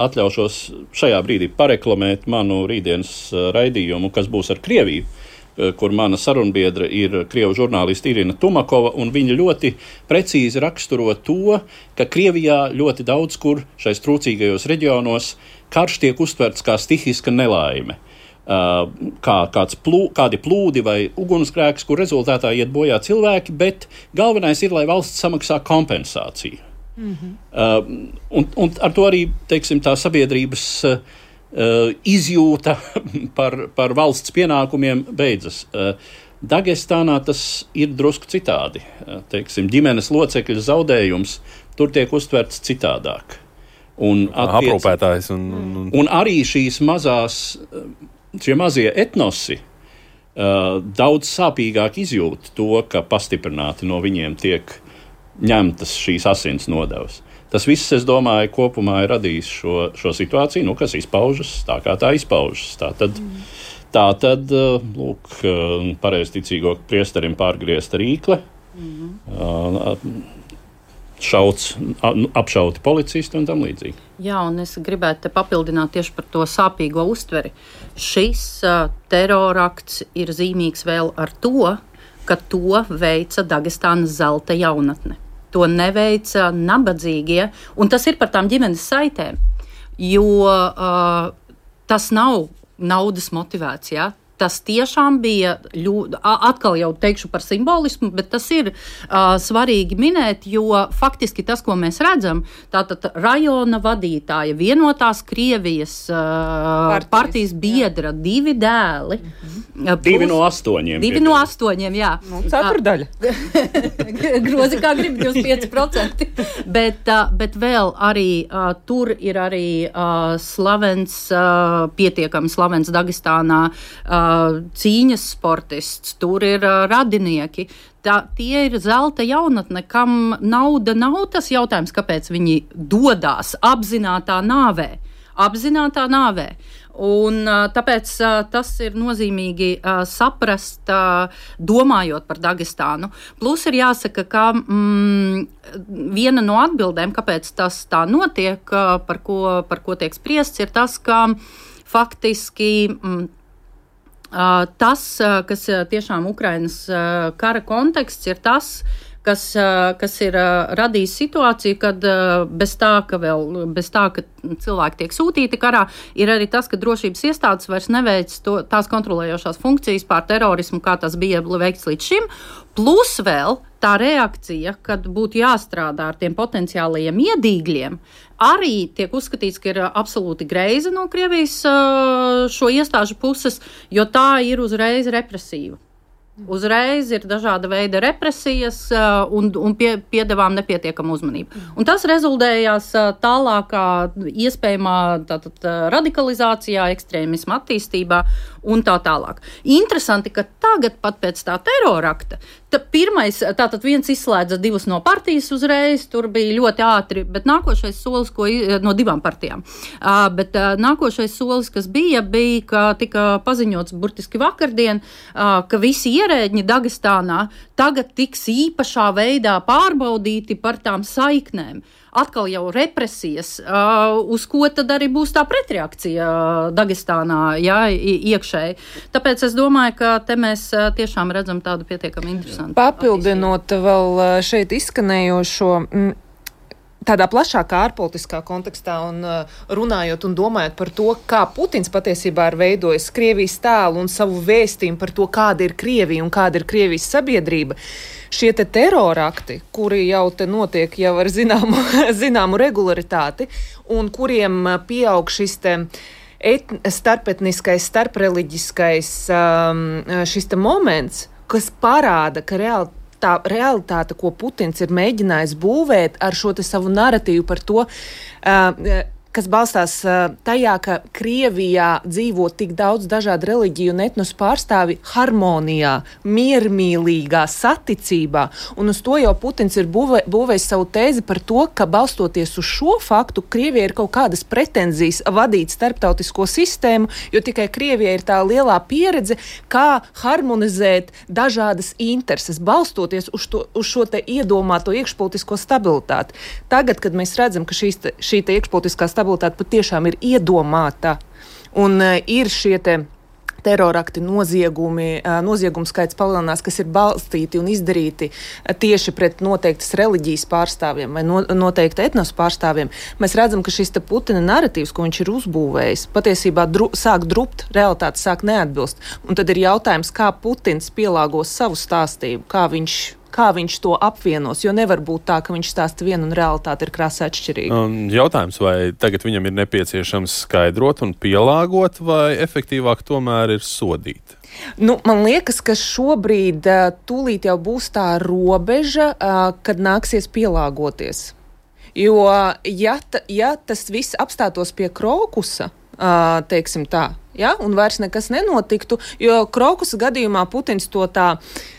atļaušos šajā brīdī pareklamēt manu rītdienas uh, raidījumu, kas būs ar Krieviju, uh, kur mana sarunbiedra ir krievu žurnāliste Irina Tumakova, un viņa ļoti precīzi raksturo to, ka Krievijā ļoti daudz kur šais trūcīgajos reģionos karš tiek uztverts kā stihiska nelaime. kā, kāds plū, kādi plūdi vai ugunsgrēks, kur rezultātā iet bojā cilvēki, bet galvenais ir, lai valsts samaksā kompensāciju. Mm-hmm. Uh, un, un ar to arī, teiksim, tā sabiedrības uh, izjūta par, par valsts pienākumiem beidzas. Uh, Dagestānā tas ir drusku citādi. Uh, teiksim, ģimenes locekļu zaudējums tur tiek uztverts citādāk. Un attiec... aprūpētājs. Un, un... un arī šīs mazās, šie mazie etnosi uh, daudz sāpīgāk izjūt to, ka pastiprināti no viņiem tiek ņemtas šīs asins nodevas. Tas viss, es domāju, kopumā ir radījis šo, šo situāciju, nu, kas izpaužas tā, kā tā izpaužas. Tā tad, mm. tā tad lūk, pareizticīgo priesterim pārgriezta rīkle, mm. šauts, apšauti policisti un tam līdzīgi. Jā, un es gribētu te papildināt tieši par to sāpīgo uztveri. Šis uh, terorakts ir zīmīgs vēl ar to, ka to veica Dagestānas zelta jaunatne. To neveica nabadzīgie, un tas ir par tām ģimenes saitēm, jo uh, tas nav naudas motivēts, ja? Tas tiešām bija, ļu, atkal jau teikšu par simbolismu, bet tas ir uh, svarīgi minēt, jo faktiski tas, ko mēs redzam, tātad rajona vadītāja, vienotās Krievijas uh, partijas, partijas biedra, jā. divi dēli. Mm-hmm. Plus, divi no astoņiem. Divi no astoņiem, jā. Nu, ceturdaļa. Grozi kā grib, divdesmit pieci procenti. bet, uh, bet vēl arī uh, tur ir arī uh, slavens, uh, pietiekami slavens Dagestānā, uh, cīņas sportists, tur ir uh, radinieki. Tā, tie ir zelta jaunatne, kam nauda nav tas jautājums, kāpēc viņi dodās apzinātā nāvē. Apzinātā nāvē. Un uh, tāpēc uh, tas ir nozīmīgi uh, saprast, uh, domājot par Dagestānu. Plus ir jāsaka, ka mm, viena no atbildēm, kāpēc tas tā notiek, uh, par, ko, par ko tiek spriests, ir tas, ka faktiski mm, Uh, tas, uh, kas uh, tiešām Ukrainas uh, kara konteksts, ir tas, kas, uh, kas ir uh, radījis situāciju, kad uh, bez tā, ka vēl, bez tā, ka cilvēki tiek sūtīti karā, ir arī tas, ka drošības iestādes vairs neveic to, tās kontrolējošās funkcijas pār terorismu, kā tas bija veikts līdz šim, plus vēl tā reakcija, kad būtu jāstrādā ar tiem potenciālajiem iedīgļiem, arī tiek uzskatīts, ka ir absolūti greiza no Krievijas šo iestāžu puses, jo tā ir uzreiz represīva. Uzreiz ir dažāda veida represijas un, un pie, piedevām nepietiekama uzmanība. Un tas rezultējās tālākā iespējamā tātad, radikalizācijā, ekstrēmisma attīstībā un tā tālāk. Interesanti, ka tagad pat pēc tā terorakta, ta pirmais, tātad viens izslēdza divus no partijas uzreiz, tur bija ļoti ātri, bet nākošais solis, ko, no divām partijām, uh, bet uh, nākošais solis, kas bija, bija, ka tika paziņots burtiski vakardien, uh, ka visi ierēģi Dagestānā tagad tiks īpašā veidā pārbaudīti par tām saiknēm. Atkal jau represijas, uh, uz ko tad arī būs tā pretreakcija uh, Dagestānā, jā, iekšēji. Tāpēc es domāju, ka te mēs uh, tiešām redzam tādu pietiekami interesantu. Papildinot vēl šeit izskanējošo, m, tādā plašākā ārpolitiskā kontekstā un uh, runājot un domājot par to, kā Putins patiesībā ir veidojis Krievijas tēlu un savu vēstījumu par to, kāda ir Krievija un kāda ir Krievijas sabiedrība. Šie te terorakti, kuri jau te notiek jau ar zināmu, zināmu regularitāti un kuriem pieaug šis te et, starpetniskais, starpreliģiskais um, šis te moments, kas parāda, ka reāli tā realitāte, ko Putins ir mēģinājis būvēt ar šo te savu naratīvu par to, uh, kas balstās uh, tajā, ka Krievijā dzīvo tik daudz dažādu reliģiju un etnosu pārstāvi harmonijā, miermīlīgā saticībā, un uz to jau Putins ir būvē, būvējis savu tēzi par to, ka balstoties uz šo faktu, Krievija ir kaut kādas pretenzijas vadīt starptautisko sistēmu, jo tikai Krievija ir tā lielā pieredze, kā harmonizēt dažādas intereses, balstoties uz, to, uz šo te iedomāto iekšpolitisko stabilitāti. Tagad, kad mēs redzam, ka šīs te, šī te iekšpolitiskā stabilitāte patiešām ir iedomāta un uh, ir šie te terorakti, noziegumi, noziegums skaits palielinās, kas ir balstīti un izdarīti tieši pret noteiktas reliģijas pārstāvjiem vai no, noteikti etnos pārstāvjiem, mēs redzam, ka šis te Putina narratīvs, ko viņš ir uzbūvējis, patiesībā dru, sāk drupt, realitāte sāk neatbilst. Un tad ir jautājums, kā Putins pielāgos savu stāstību, kā viņš kā viņš to apvienos, jo nevar būt tā, ka viņš stāsta vienu un realitāte ir krasi atšķirīga. Un jautājums, vai tagad viņam ir nepieciešams skaidrot un pielāgot, vai efektīvāk tomēr ir sodīt? Nu, man liekas, ka šobrīd tūlīt jau būs tā robeža, kad nāksies pielāgoties. Jo, ja, ta, ja tas viss apstātos pie Krokusa, teiksim tā, ja, un vairs nekas nenotiktu, jo Krokusa gadījumā Putins to tā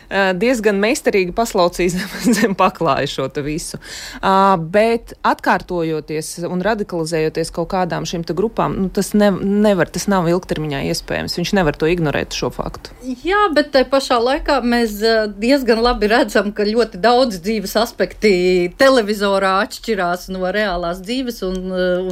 diezgan meistarīgi paslaucīs zem paklāja šo te visu. Uh, bet atkārtojoties un radikalizējoties kaut kādām šīm te grupām, nu, tas ne, nevar, tas nav ilgtermiņā iespējams. Viņš nevar to ignorēt šo faktu. Jā, bet tai pašā laikā mēs diezgan labi redzam, ka ļoti daudz dzīves aspekti televizorā atšķirās no reālās dzīves un,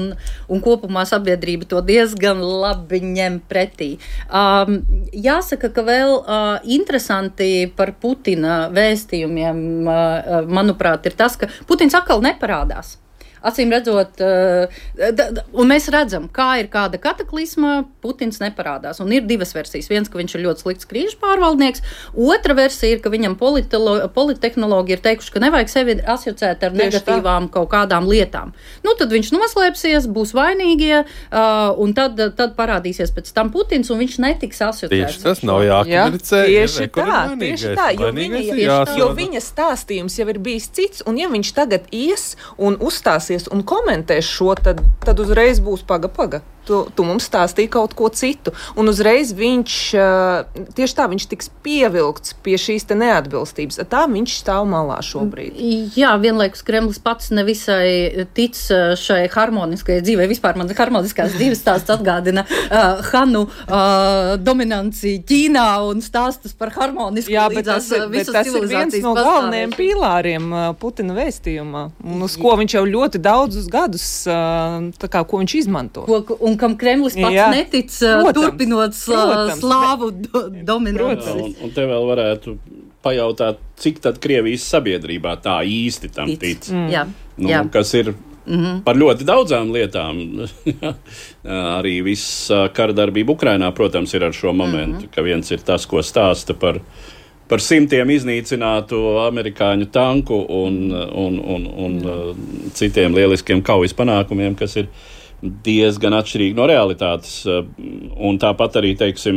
un, un kopumā sabiedrība to diezgan labi ņem pretī. Um, jāsaka, ka vēl uh, interesanti par Putina vēstījumiem, manuprāt, ir tas, ka Putins atkal neparādās. Acīm redzot, un mēs redzam, kā ir kāda kataklizma, Putins neparādās. Un ir divas versijas. Viens, ka viņš ir ļoti slikts krīžu pārvaldnieks. Otra versija ir, ka viņam politehnologi ir teikuši, ka nevajag sevi asociēt ar negatīvām kaut kādām lietām. Nu, tad viņš noslēpsies, būs vainīgie, un tad, tad parādīsies pēc tam Putins, un viņš netiks asociēts. Tieši tas nav jākomunicē. Tieši tā, tieši tā, jo viņa, jo viņa stāstījums jau ir bijis cits, un ja viņš tagad ies un uzstāsies un komentēs šo, tad, tad uzreiz būs paga, paga. Tu, tu mums stāstīji kaut ko citu. Un uzreiz viņš, tieši tā, viņš tiks pievilkts pie šīs te neatbilstības. Tā viņš stāv malā šobrīd. Jā, vienlaikus Kremlis pats nevisai tic šai harmoniskajai dzīvei. Vispār man harmoniskās dzīves stāsts atgādina uh, Hanu uh, dominanciju Ķīnā un stāstus par harmonisku Jā, līdzās tas, visas tas ir viens no galvenajiem pīlāriem uh, Putina vēstījumā. Un uz ko viņš jau ļoti daudzus gadus, uh, tā kā, ko viņš izmanto. Ko, un kam Kremlis pats Jā. netic, protams, turpinot protams, slāvu do, dominanci. Un, un te vēl varētu pajautāt, cik tad Krievijas sabiedrībā tā īsti tam tic. tic. Mm. Jā. Nu, Jā. Kas ir mm-hmm. par ļoti daudzām lietām. Arī viss karadarbība Ukrainā, protams, ir ar šo momentu, mm-hmm. ka viens ir tas, ko stāsta par par simtiem iznīcinātu amerikāņu tanku un, un, un, un mm. citiem lieliskiem kaujas panākumiem, kas ir diezgan atšķirīgi no realitātes. Un tāpat arī, teiksim,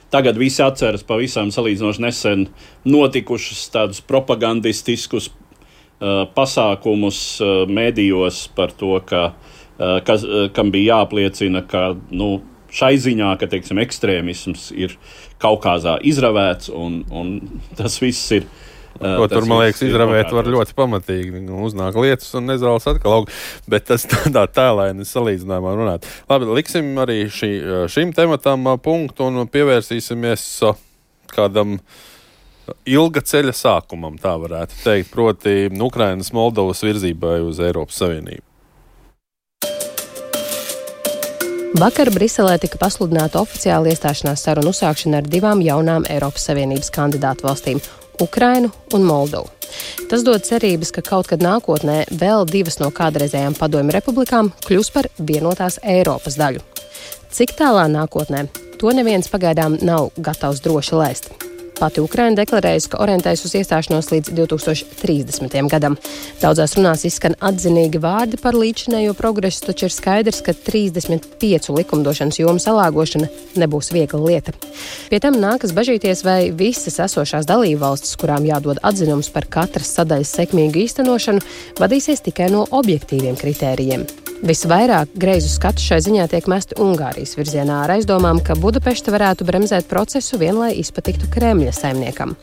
tagad visi atceras pavisam salīdzinoši nesen notikušus tādus propagandistiskus uh, pasākumus uh, medijos par to, ka, uh, kas, uh, kam bija jāapliecina, ka, nu, šai ziņā, ka, teiksim, ekstrēmisms ir Kaukāzā izravēts, un, un tas viss ir. Uh, Ko tur, man liekas, izravēt var ļoti pamatīgi. Uznāk lietas un nezāles atkal aug. Bet tas tādā tēlaini salīdzinājumā runāt. Labi, liksim arī šī, šim tematam punktu un pievērsīsimies kādam ilga ceļa sākumam, tā varētu teikt, proti Ukrainas Moldovas virzībai uz Eiropas Savienību. Vakar Briselē tika pasludināta oficiāla iestāšanās sarunu uzsākšana ar divām jaunām Eiropas Savienības kandidātu valstīm – Ukrainu un Moldovu. Tas dod cerības, ka kaut kad nākotnē vēl divas no kādreizējām padomju republikām kļūs par vienotās Eiropas daļu. Cik tālā nākotnē, to neviens pagaidām nav gatavs droši laist. Pati Ukraina deklarējusi, ka orientējas uz iestāšanos līdz divi tūkstoši trīsdesmitajam gadam. Daudzās runās izskan atzinīgi vārdi par līdzinējo progresu, taču ir skaidrs, ka trīsdesmit piecu likumdošanas jomu salāgošana nebūs viegla lieta. Pie tam nākas bažīties, vai visas esošās dalībvalstis, kurām jādod atzinums par katras sadaļas sekmīgu īstenošanu, vadīsies tikai no objektīviem kritērijiem. Visvairāk greizu skatu šai ziņā tiek mesti Ungārijas virzienā ar aizdomām, ka Budapešta varētu bremzēt procesu vien, lai izpatiktu Kremļa saimniekam.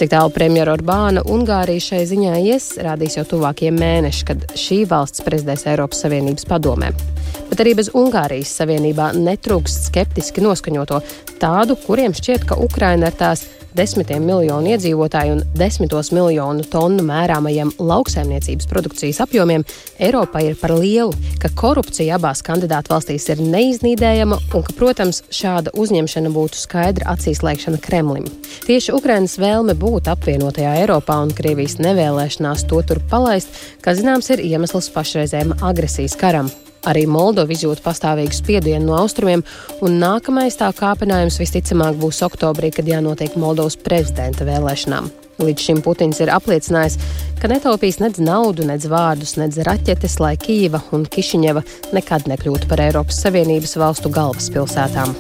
Cik tālu premjera Orbāna Ungārija šai ziņā ies, rādīs jau tuvākie mēneši, kad šī valsts prezidēs Eiropas Savienības padomē. Bet arī bez Ungārijas Savienībā netrūkst skeptiski noskaņoto, tādu, kuriem šķiet, ka Ukraina ar tās desmitiem miljonu iedzīvotāju un desmitos miljonu tonu mērāmajiem lauksaimniecības produkcijas apjomiem Eiropai ir par lielu, ka korupcija abās kandidātu valstīs ir neiznīdējama un ka, protams, šāda uzņemšana būtu skaidra acīs lēkšana Kremlim. Tieši Ukrainas vēlme būt apvienotajā Eiropā un Krievijas nevēlēšanās to tur palaist, kā zināms, ir iemesls pašreizējam agresijas karam. Arī Moldova izjūt pastāvīgu spiedienu no austrumiem, un nākamais tā kāpinājums visticamāk būs oktobrī, kad jānotiek Moldovas prezidenta vēlēšanām. Līdz šim Putins ir apliecinājis, ka netaupīs nedz naudu, nedz vārdus, nedz raķetes, lai Kijeva un Kišiņeva nekad nekļūtu par Eiropas Savienības valstu galvaspilsētām.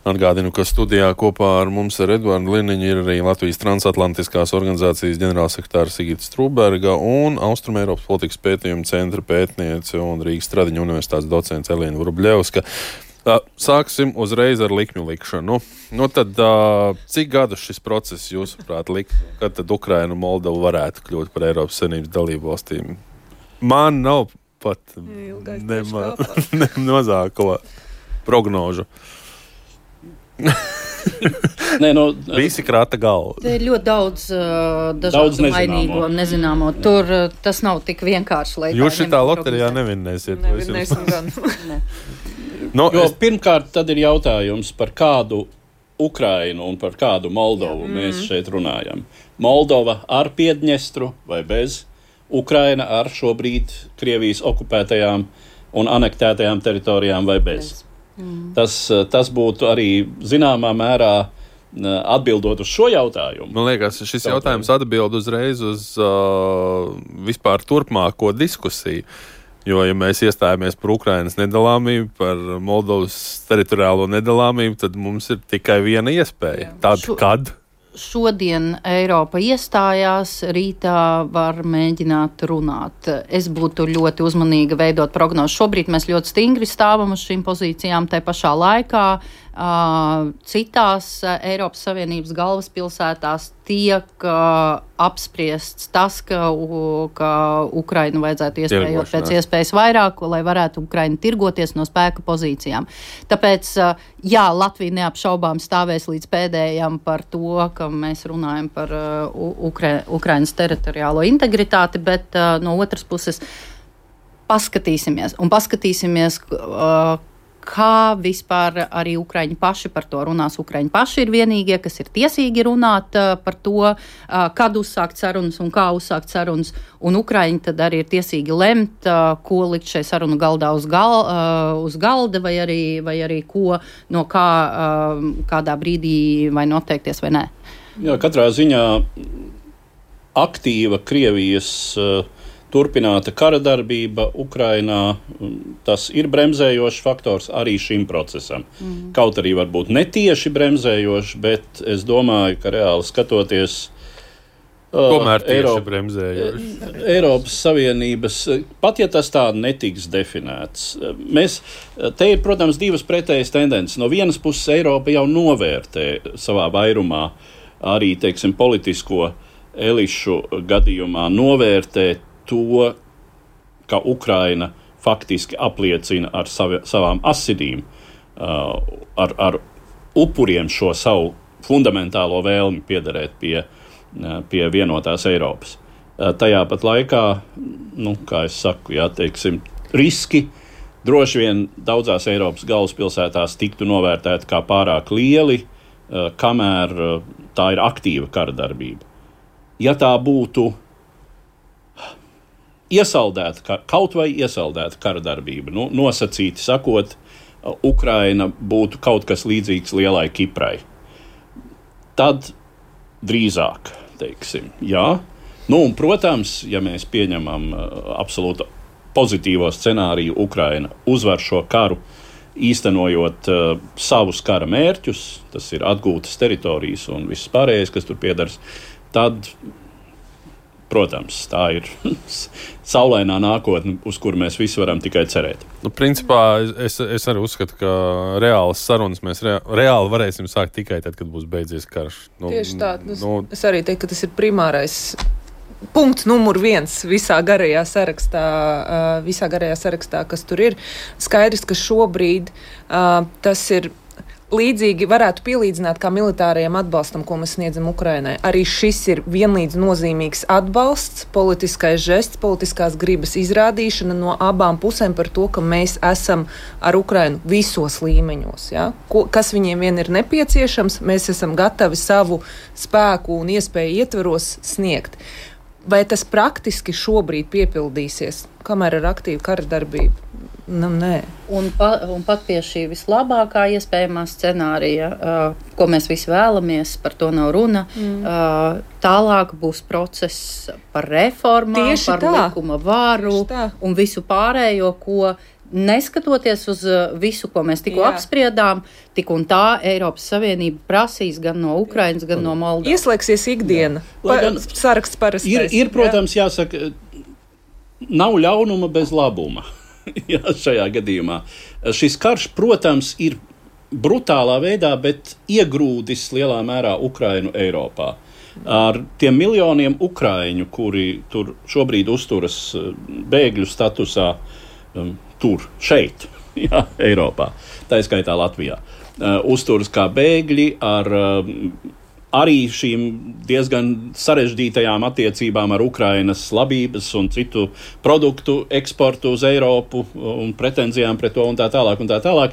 Atgādinu, ka studijā kopā ar mums ar Edvardu Liniņu ir arī Latvijas transatlantiskās organizācijas ģenerālsekretāra Sigita Strūberga un Austrumeiropas politikas pētījuma centra pētniece un Rīgas Stradiņa universitātes docents Elīna Vrubļevska. Sāksim uzreiz ar likmju likšanu. Nu tad, cik gadus šis process, jūsuprāt, likt, kad tad Ukraina un Moldova varētu kļūt par Eiropas Savienības dalību valstīm? Man nav pat ne, ne mazāko prognožu. Nē, no, Visi krāta galvu. Te ir ļoti daudz uh, dažādu mainīgo un nezināmo. Tur uh, tas nav tik vienkārši, lai Jūs šitā loterijā nevinnēsiet. Nevinnēsim gan. ne. no, jo, es... Pirmkārt, tad ir jautājums, par kādu Ukrainu un par kādu Moldovu Jā. mēs šeit runājam. Moldova ar Piedņestru vai bez, Ukraina ar šobrīd Krievijas okupētajām un anektētajām teritorijām vai bez. bez. Mm. Tas, tas būtu arī zināmā mērā atbildot uz šo jautājumu. Man liekas, šis jautājums atbild uzreiz uz uh, vispār turpmāko diskusiju. Jo, ja mēs iestājamies par Ukrainas nedalāmību, par Moldovas teritoriālo nedalāmību, tad mums ir tikai viena iespēja. Tad, Šo... kad? Šodien Eiropa iestājās, rītā var mēģināt runāt. Es būtu ļoti uzmanīga veidot prognozi. Šobrīd mēs ļoti stingri stāvam uz šīm pozīcijām, tai pašā laikā uh, citās uh, Eiropas Savienības galvaspilsētās tiek uh, apspriests tas, ka, uh, ka Ukrainu vajadzētu iespējot pēc iespējas vairāk, lai varētu Ukraina tirgoties no spēka pozīcijām. Tāpēc, uh, jā, Latvija neapšaubām stāvēs līdz pēdējam par to, ka mēs runājam par uh, Ukra- Ukrainas teritoriālo integritāti, bet uh, no otras puses paskatīsimies. Un paskatīsimies, uh, kā vispār arī Ukraiņi paši par to runās. Ukraiņi paši ir vienīgie, kas ir tiesīgi runāt uh, par to, uh, kad uzsākt sarunas un kā uzsākt sarunas. Un Ukraiņi tad arī ir tiesīgi lemt, uh, ko likt šai sarunu galdā uz, gal, uh, uz galda vai arī, vai arī ko no kā uh, kādā brīdī vai noteikties vai nē. Jā, katrā ziņā aktīva Krievijas uh, turpināta kara darbība Ukrainā, tas ir bremzējošs faktors arī šim procesam. Mm. Kaut arī varbūt netieši bremzējošs, bet es domāju, ka reāli skatoties Tomēr tieši Eiropa, bremzējoši. Eiropas Savienības, pat ja tas tā netiks definēts, mēs, te ir, protams, divas pretējas tendences. No vienas puses Eiropa jau novērtē savā vairumā arī, teiksim, politisko elišu gadījumā novērtē to, ka Ukraina faktiski apliecina ar savi, savām asinīm, uh, ar, ar upuriem šo savu fundamentālo vēlmi piederēt pie, uh, pie vienotās Eiropas. Uh, tajā pat laikā, nu, kā es saku, jā, teiksim, riski droši vien daudzās Eiropas galvaspilsētās tiktu novērtēti kā pārāk lieli, uh, kamēr uh, tā ir aktīva kara darbība. Ja tā būtu iesaldēta, kaut vai iesaldēta kara darbība, nu, nosacīti sakot, Ukraina būtu kaut kas līdzīgs lielai Kiprai. Tad drīzāk, teiksim, jā. Nu, un, protams, ja mēs pieņemam uh, absolūti pozitīvo scenāriju, Ukraina uzvar šo karu, īstenojot uh, savus kara mērķus, tas ir atgūtas teritorijas un viss pārējais, kas tur piedars, tad protams, tā ir saulainā nākotne, uz kuru mēs visi varam tikai cerēt. Nu, principā es, es arī uzskatu, ka reālas sarunas mēs rea, reāli varēsim sākt tikai tad, kad būs beidzies karš. Nu, Tieši tā. Nu, es arī teiktu, ka tas ir primārais punkts numur viens visā garajā sarakstā, visā garajā sarakstā, kas tur ir. Skaidrs, ka šobrīd tas ir līdzīgi varētu pielīdzināt kā militārajam atbalstam, ko mēs sniedzam Ukrainai. Arī šis ir vienlīdz nozīmīgs atbalsts, politiskais žests, politiskās gribas izrādīšana no abām pusēm par to, ka mēs esam ar Ukrainu visos līmeņos. Ja? Ko, kas viņiem vien ir nepieciešams, mēs esam gatavi savu spēku un iespēju ietveros sniegt. Vai tas praktiski šobrīd piepildīsies, kamēr ir aktīva kara darbība? Nu, nē. Un, pa, un pat pie šī vislabākā iespējamā scenārija, uh, ko mēs visi vēlamies, par to nav runa, mm. uh, tālāk būs process par reformām, Tieši par tā. likuma varu un visu pārējo, ko neskatoties uz visu, ko mēs tikko Jā. apspriedām, tik un tā Eiropas Savienība prasīs gan no Ukrainas, gan no Moldovas. Ieslēgsies ikdiena. Pa, saraksts parastais. Ir, ir, protams, Jā. jāsaka, nav ļaunuma bez labuma. Jā, šajā gadījumā. Šis karš, protams, ir brutālā veidā, bet iegrūdis lielā mērā Ukrainu Eiropā. Ar tiem miljoniem ukraiņu, kuri tur šobrīd uzturas bēgļu statusā, um, tur, šeit, jā, Eiropā, tā skaitā Latvijā, uh, uzturas kā bēgļi ar uh, arī šīm diezgan sarežģītajām attiecībām ar Ukrainas labības un citu produktu eksportu uz Eiropu un pretenzijām pret to un tā tālāk un tā tālāk.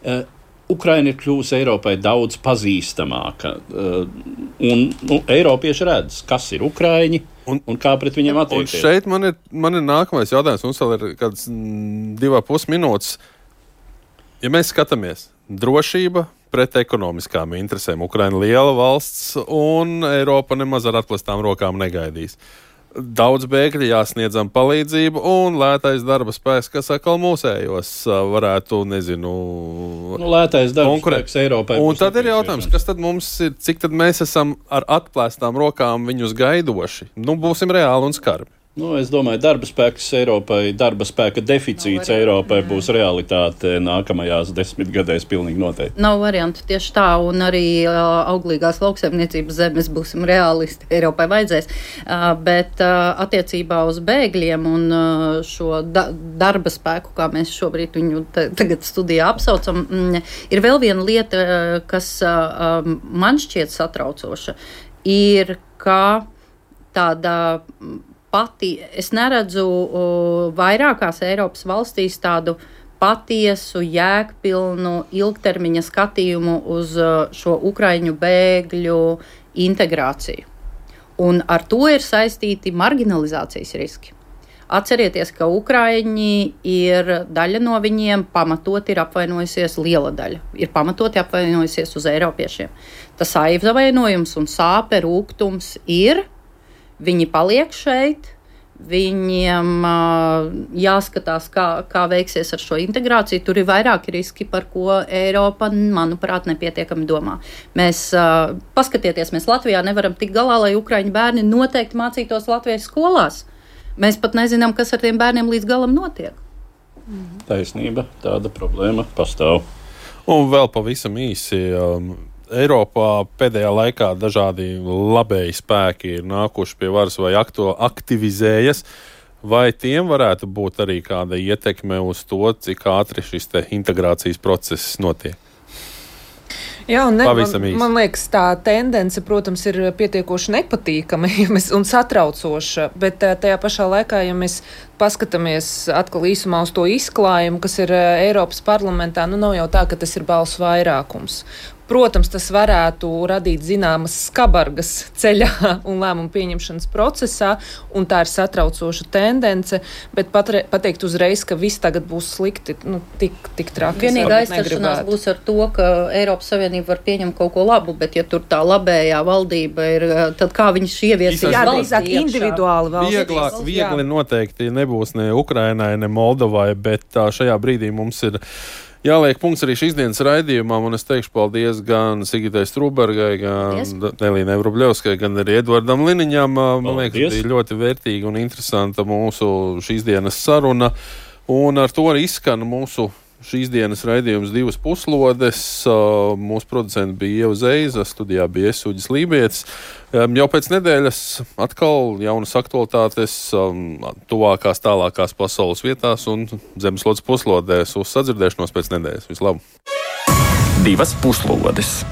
Uh, Ukraina ir kļuvusi Eiropai daudz pazīstamāka. Uh, un nu, Eiropieši redz, kas ir ukraiņi un, un kā pret viņiem attiekties. Un šeit man ir, man ir nākamais jautājums. Mums vēl ir kāds divā pus minūtes. Ja mēs skatāmies, drošība pret ekonomiskām interesēm. Ukraina liela valsts un Eiropa nemaz ar atklāstām rokām negaidīs. Daudz bēgļi jāsniedzam palīdzību un lētais darba spēks, kas atkal mūsējos varētu, nezinu, nu, lētais darba spēks Eiropai. Un tad ir jautājums, kas tad mums ir, cik tad mēs esam ar atklāstām rokām viņus gaidoši? Nu, būsim reāli un skarbi. Nu, es domāju, darba spēks Eiropai, darba spēka deficīts Nav Eiropai būs realitāte nākamajās desmitgadēs pilnīgi noteikti. Nav variantu tieši tā, un arī uh, auglīgās lauksaimniecības zemes būsim realisti, Eiropai vajadzēs. Uh, bet uh, attiecībā uz bēgļiem un uh, šo da- darba spēku, kā mēs šobrīd viņu t- tagad studijā apsaucam, mm, ir vēl viena lieta, uh, kas uh, um, man šķiet satraucoša, ir, ka tāda pati, es neredzu uh, vairākās Eiropas valstīs tādu patiesu, jēgpilnu, ilgtermiņa skatījumu uz uh, šo ukraiņu bēgļu integrāciju. Un ar to ir saistīti marginalizācijas riski. Atcerieties, ka ukraiņi ir, daļa no viņiem pamatot ir apvainojusies, liela daļa ir pamatoti apvainojusies uz eiropiešiem. Tas aizvainojums un sāpe, rūgtums ir. Viņi paliek šeit, viņiem uh, jāskatās, kā, kā veiksies ar šo integrāciju. Tur ir vairāki riski, par ko Eiropa, manuprāt, nepietiekami domā. Mēs, uh, paskatieties, mēs Latvijā nevaram tikt galā, lai ukraiņu bērni noteikti mācītos Latvijas skolās. Mēs pat nezinām, kas ar tiem bērniem līdz galam notiek. Taisnība, tāda problēma pastāv. Un vēl pavisam īsi. Um, Eiropā pēdējā laikā dažādi labēji spēki ir nākuši pie varas vai aktu, aktivizējas. Vai tiem varētu būt arī kāda ietekme uz to, cik ātri šis te integrācijas process notiek? Jā, un ne, man, man liekas, tā tendence, protams, ir pietiekoši nepatīkama un satraucoša, bet tajā pašā laikā, ja mēs paskatāmies atkal īsumā uz to izklājumu, kas ir Eiropas parlamentā, nu nav jau tā, ka tas ir balsu vairākums. Protams, tas varētu radīt zināmas skabargas ceļā un lēmumu pieņemšanas procesā, un tā ir satraucoša tendence, bet patre, pateikt uzreiz, ka viss tagad būs slikti, nu, tik, tik traki. Vienīgā aizstaršanās būs ar to, ka Eiropas Savienība var pieņemt kaut ko labu, bet ja tur tā labējā valdība ir, tad kā viņš ieviesīs jā, drīzāk individuāli valsts. Vieglāk, viegli noteikti nebūs ne Ukrainai, ne Moldovai, bet šajā brīdī mums ir jāliek punkts arī šīs dienas raidījumam, un es teikšu paldies gan Sigitai Strūbergai, gan Elīnai Vrubļovskai, gan arī Edvardam Liniņam. Man liekas, bija ļoti vērtīga un interesanta mūsu šīs dienas saruna, un ar to arī izskan mūsu šīs dienas raidījums divas puslodes. Mūsu producenti bija Ieva Zeiza, studijā bija es, Uģis Lībietis. Jau pēc nedēļas atkal jaunas aktualitātes tuvākās, tālākās pasaules vietās un Zemeslodes puslodēs. Uz sadzirdēšanos pēc nedēļas. Vislabāk! divas puslodes.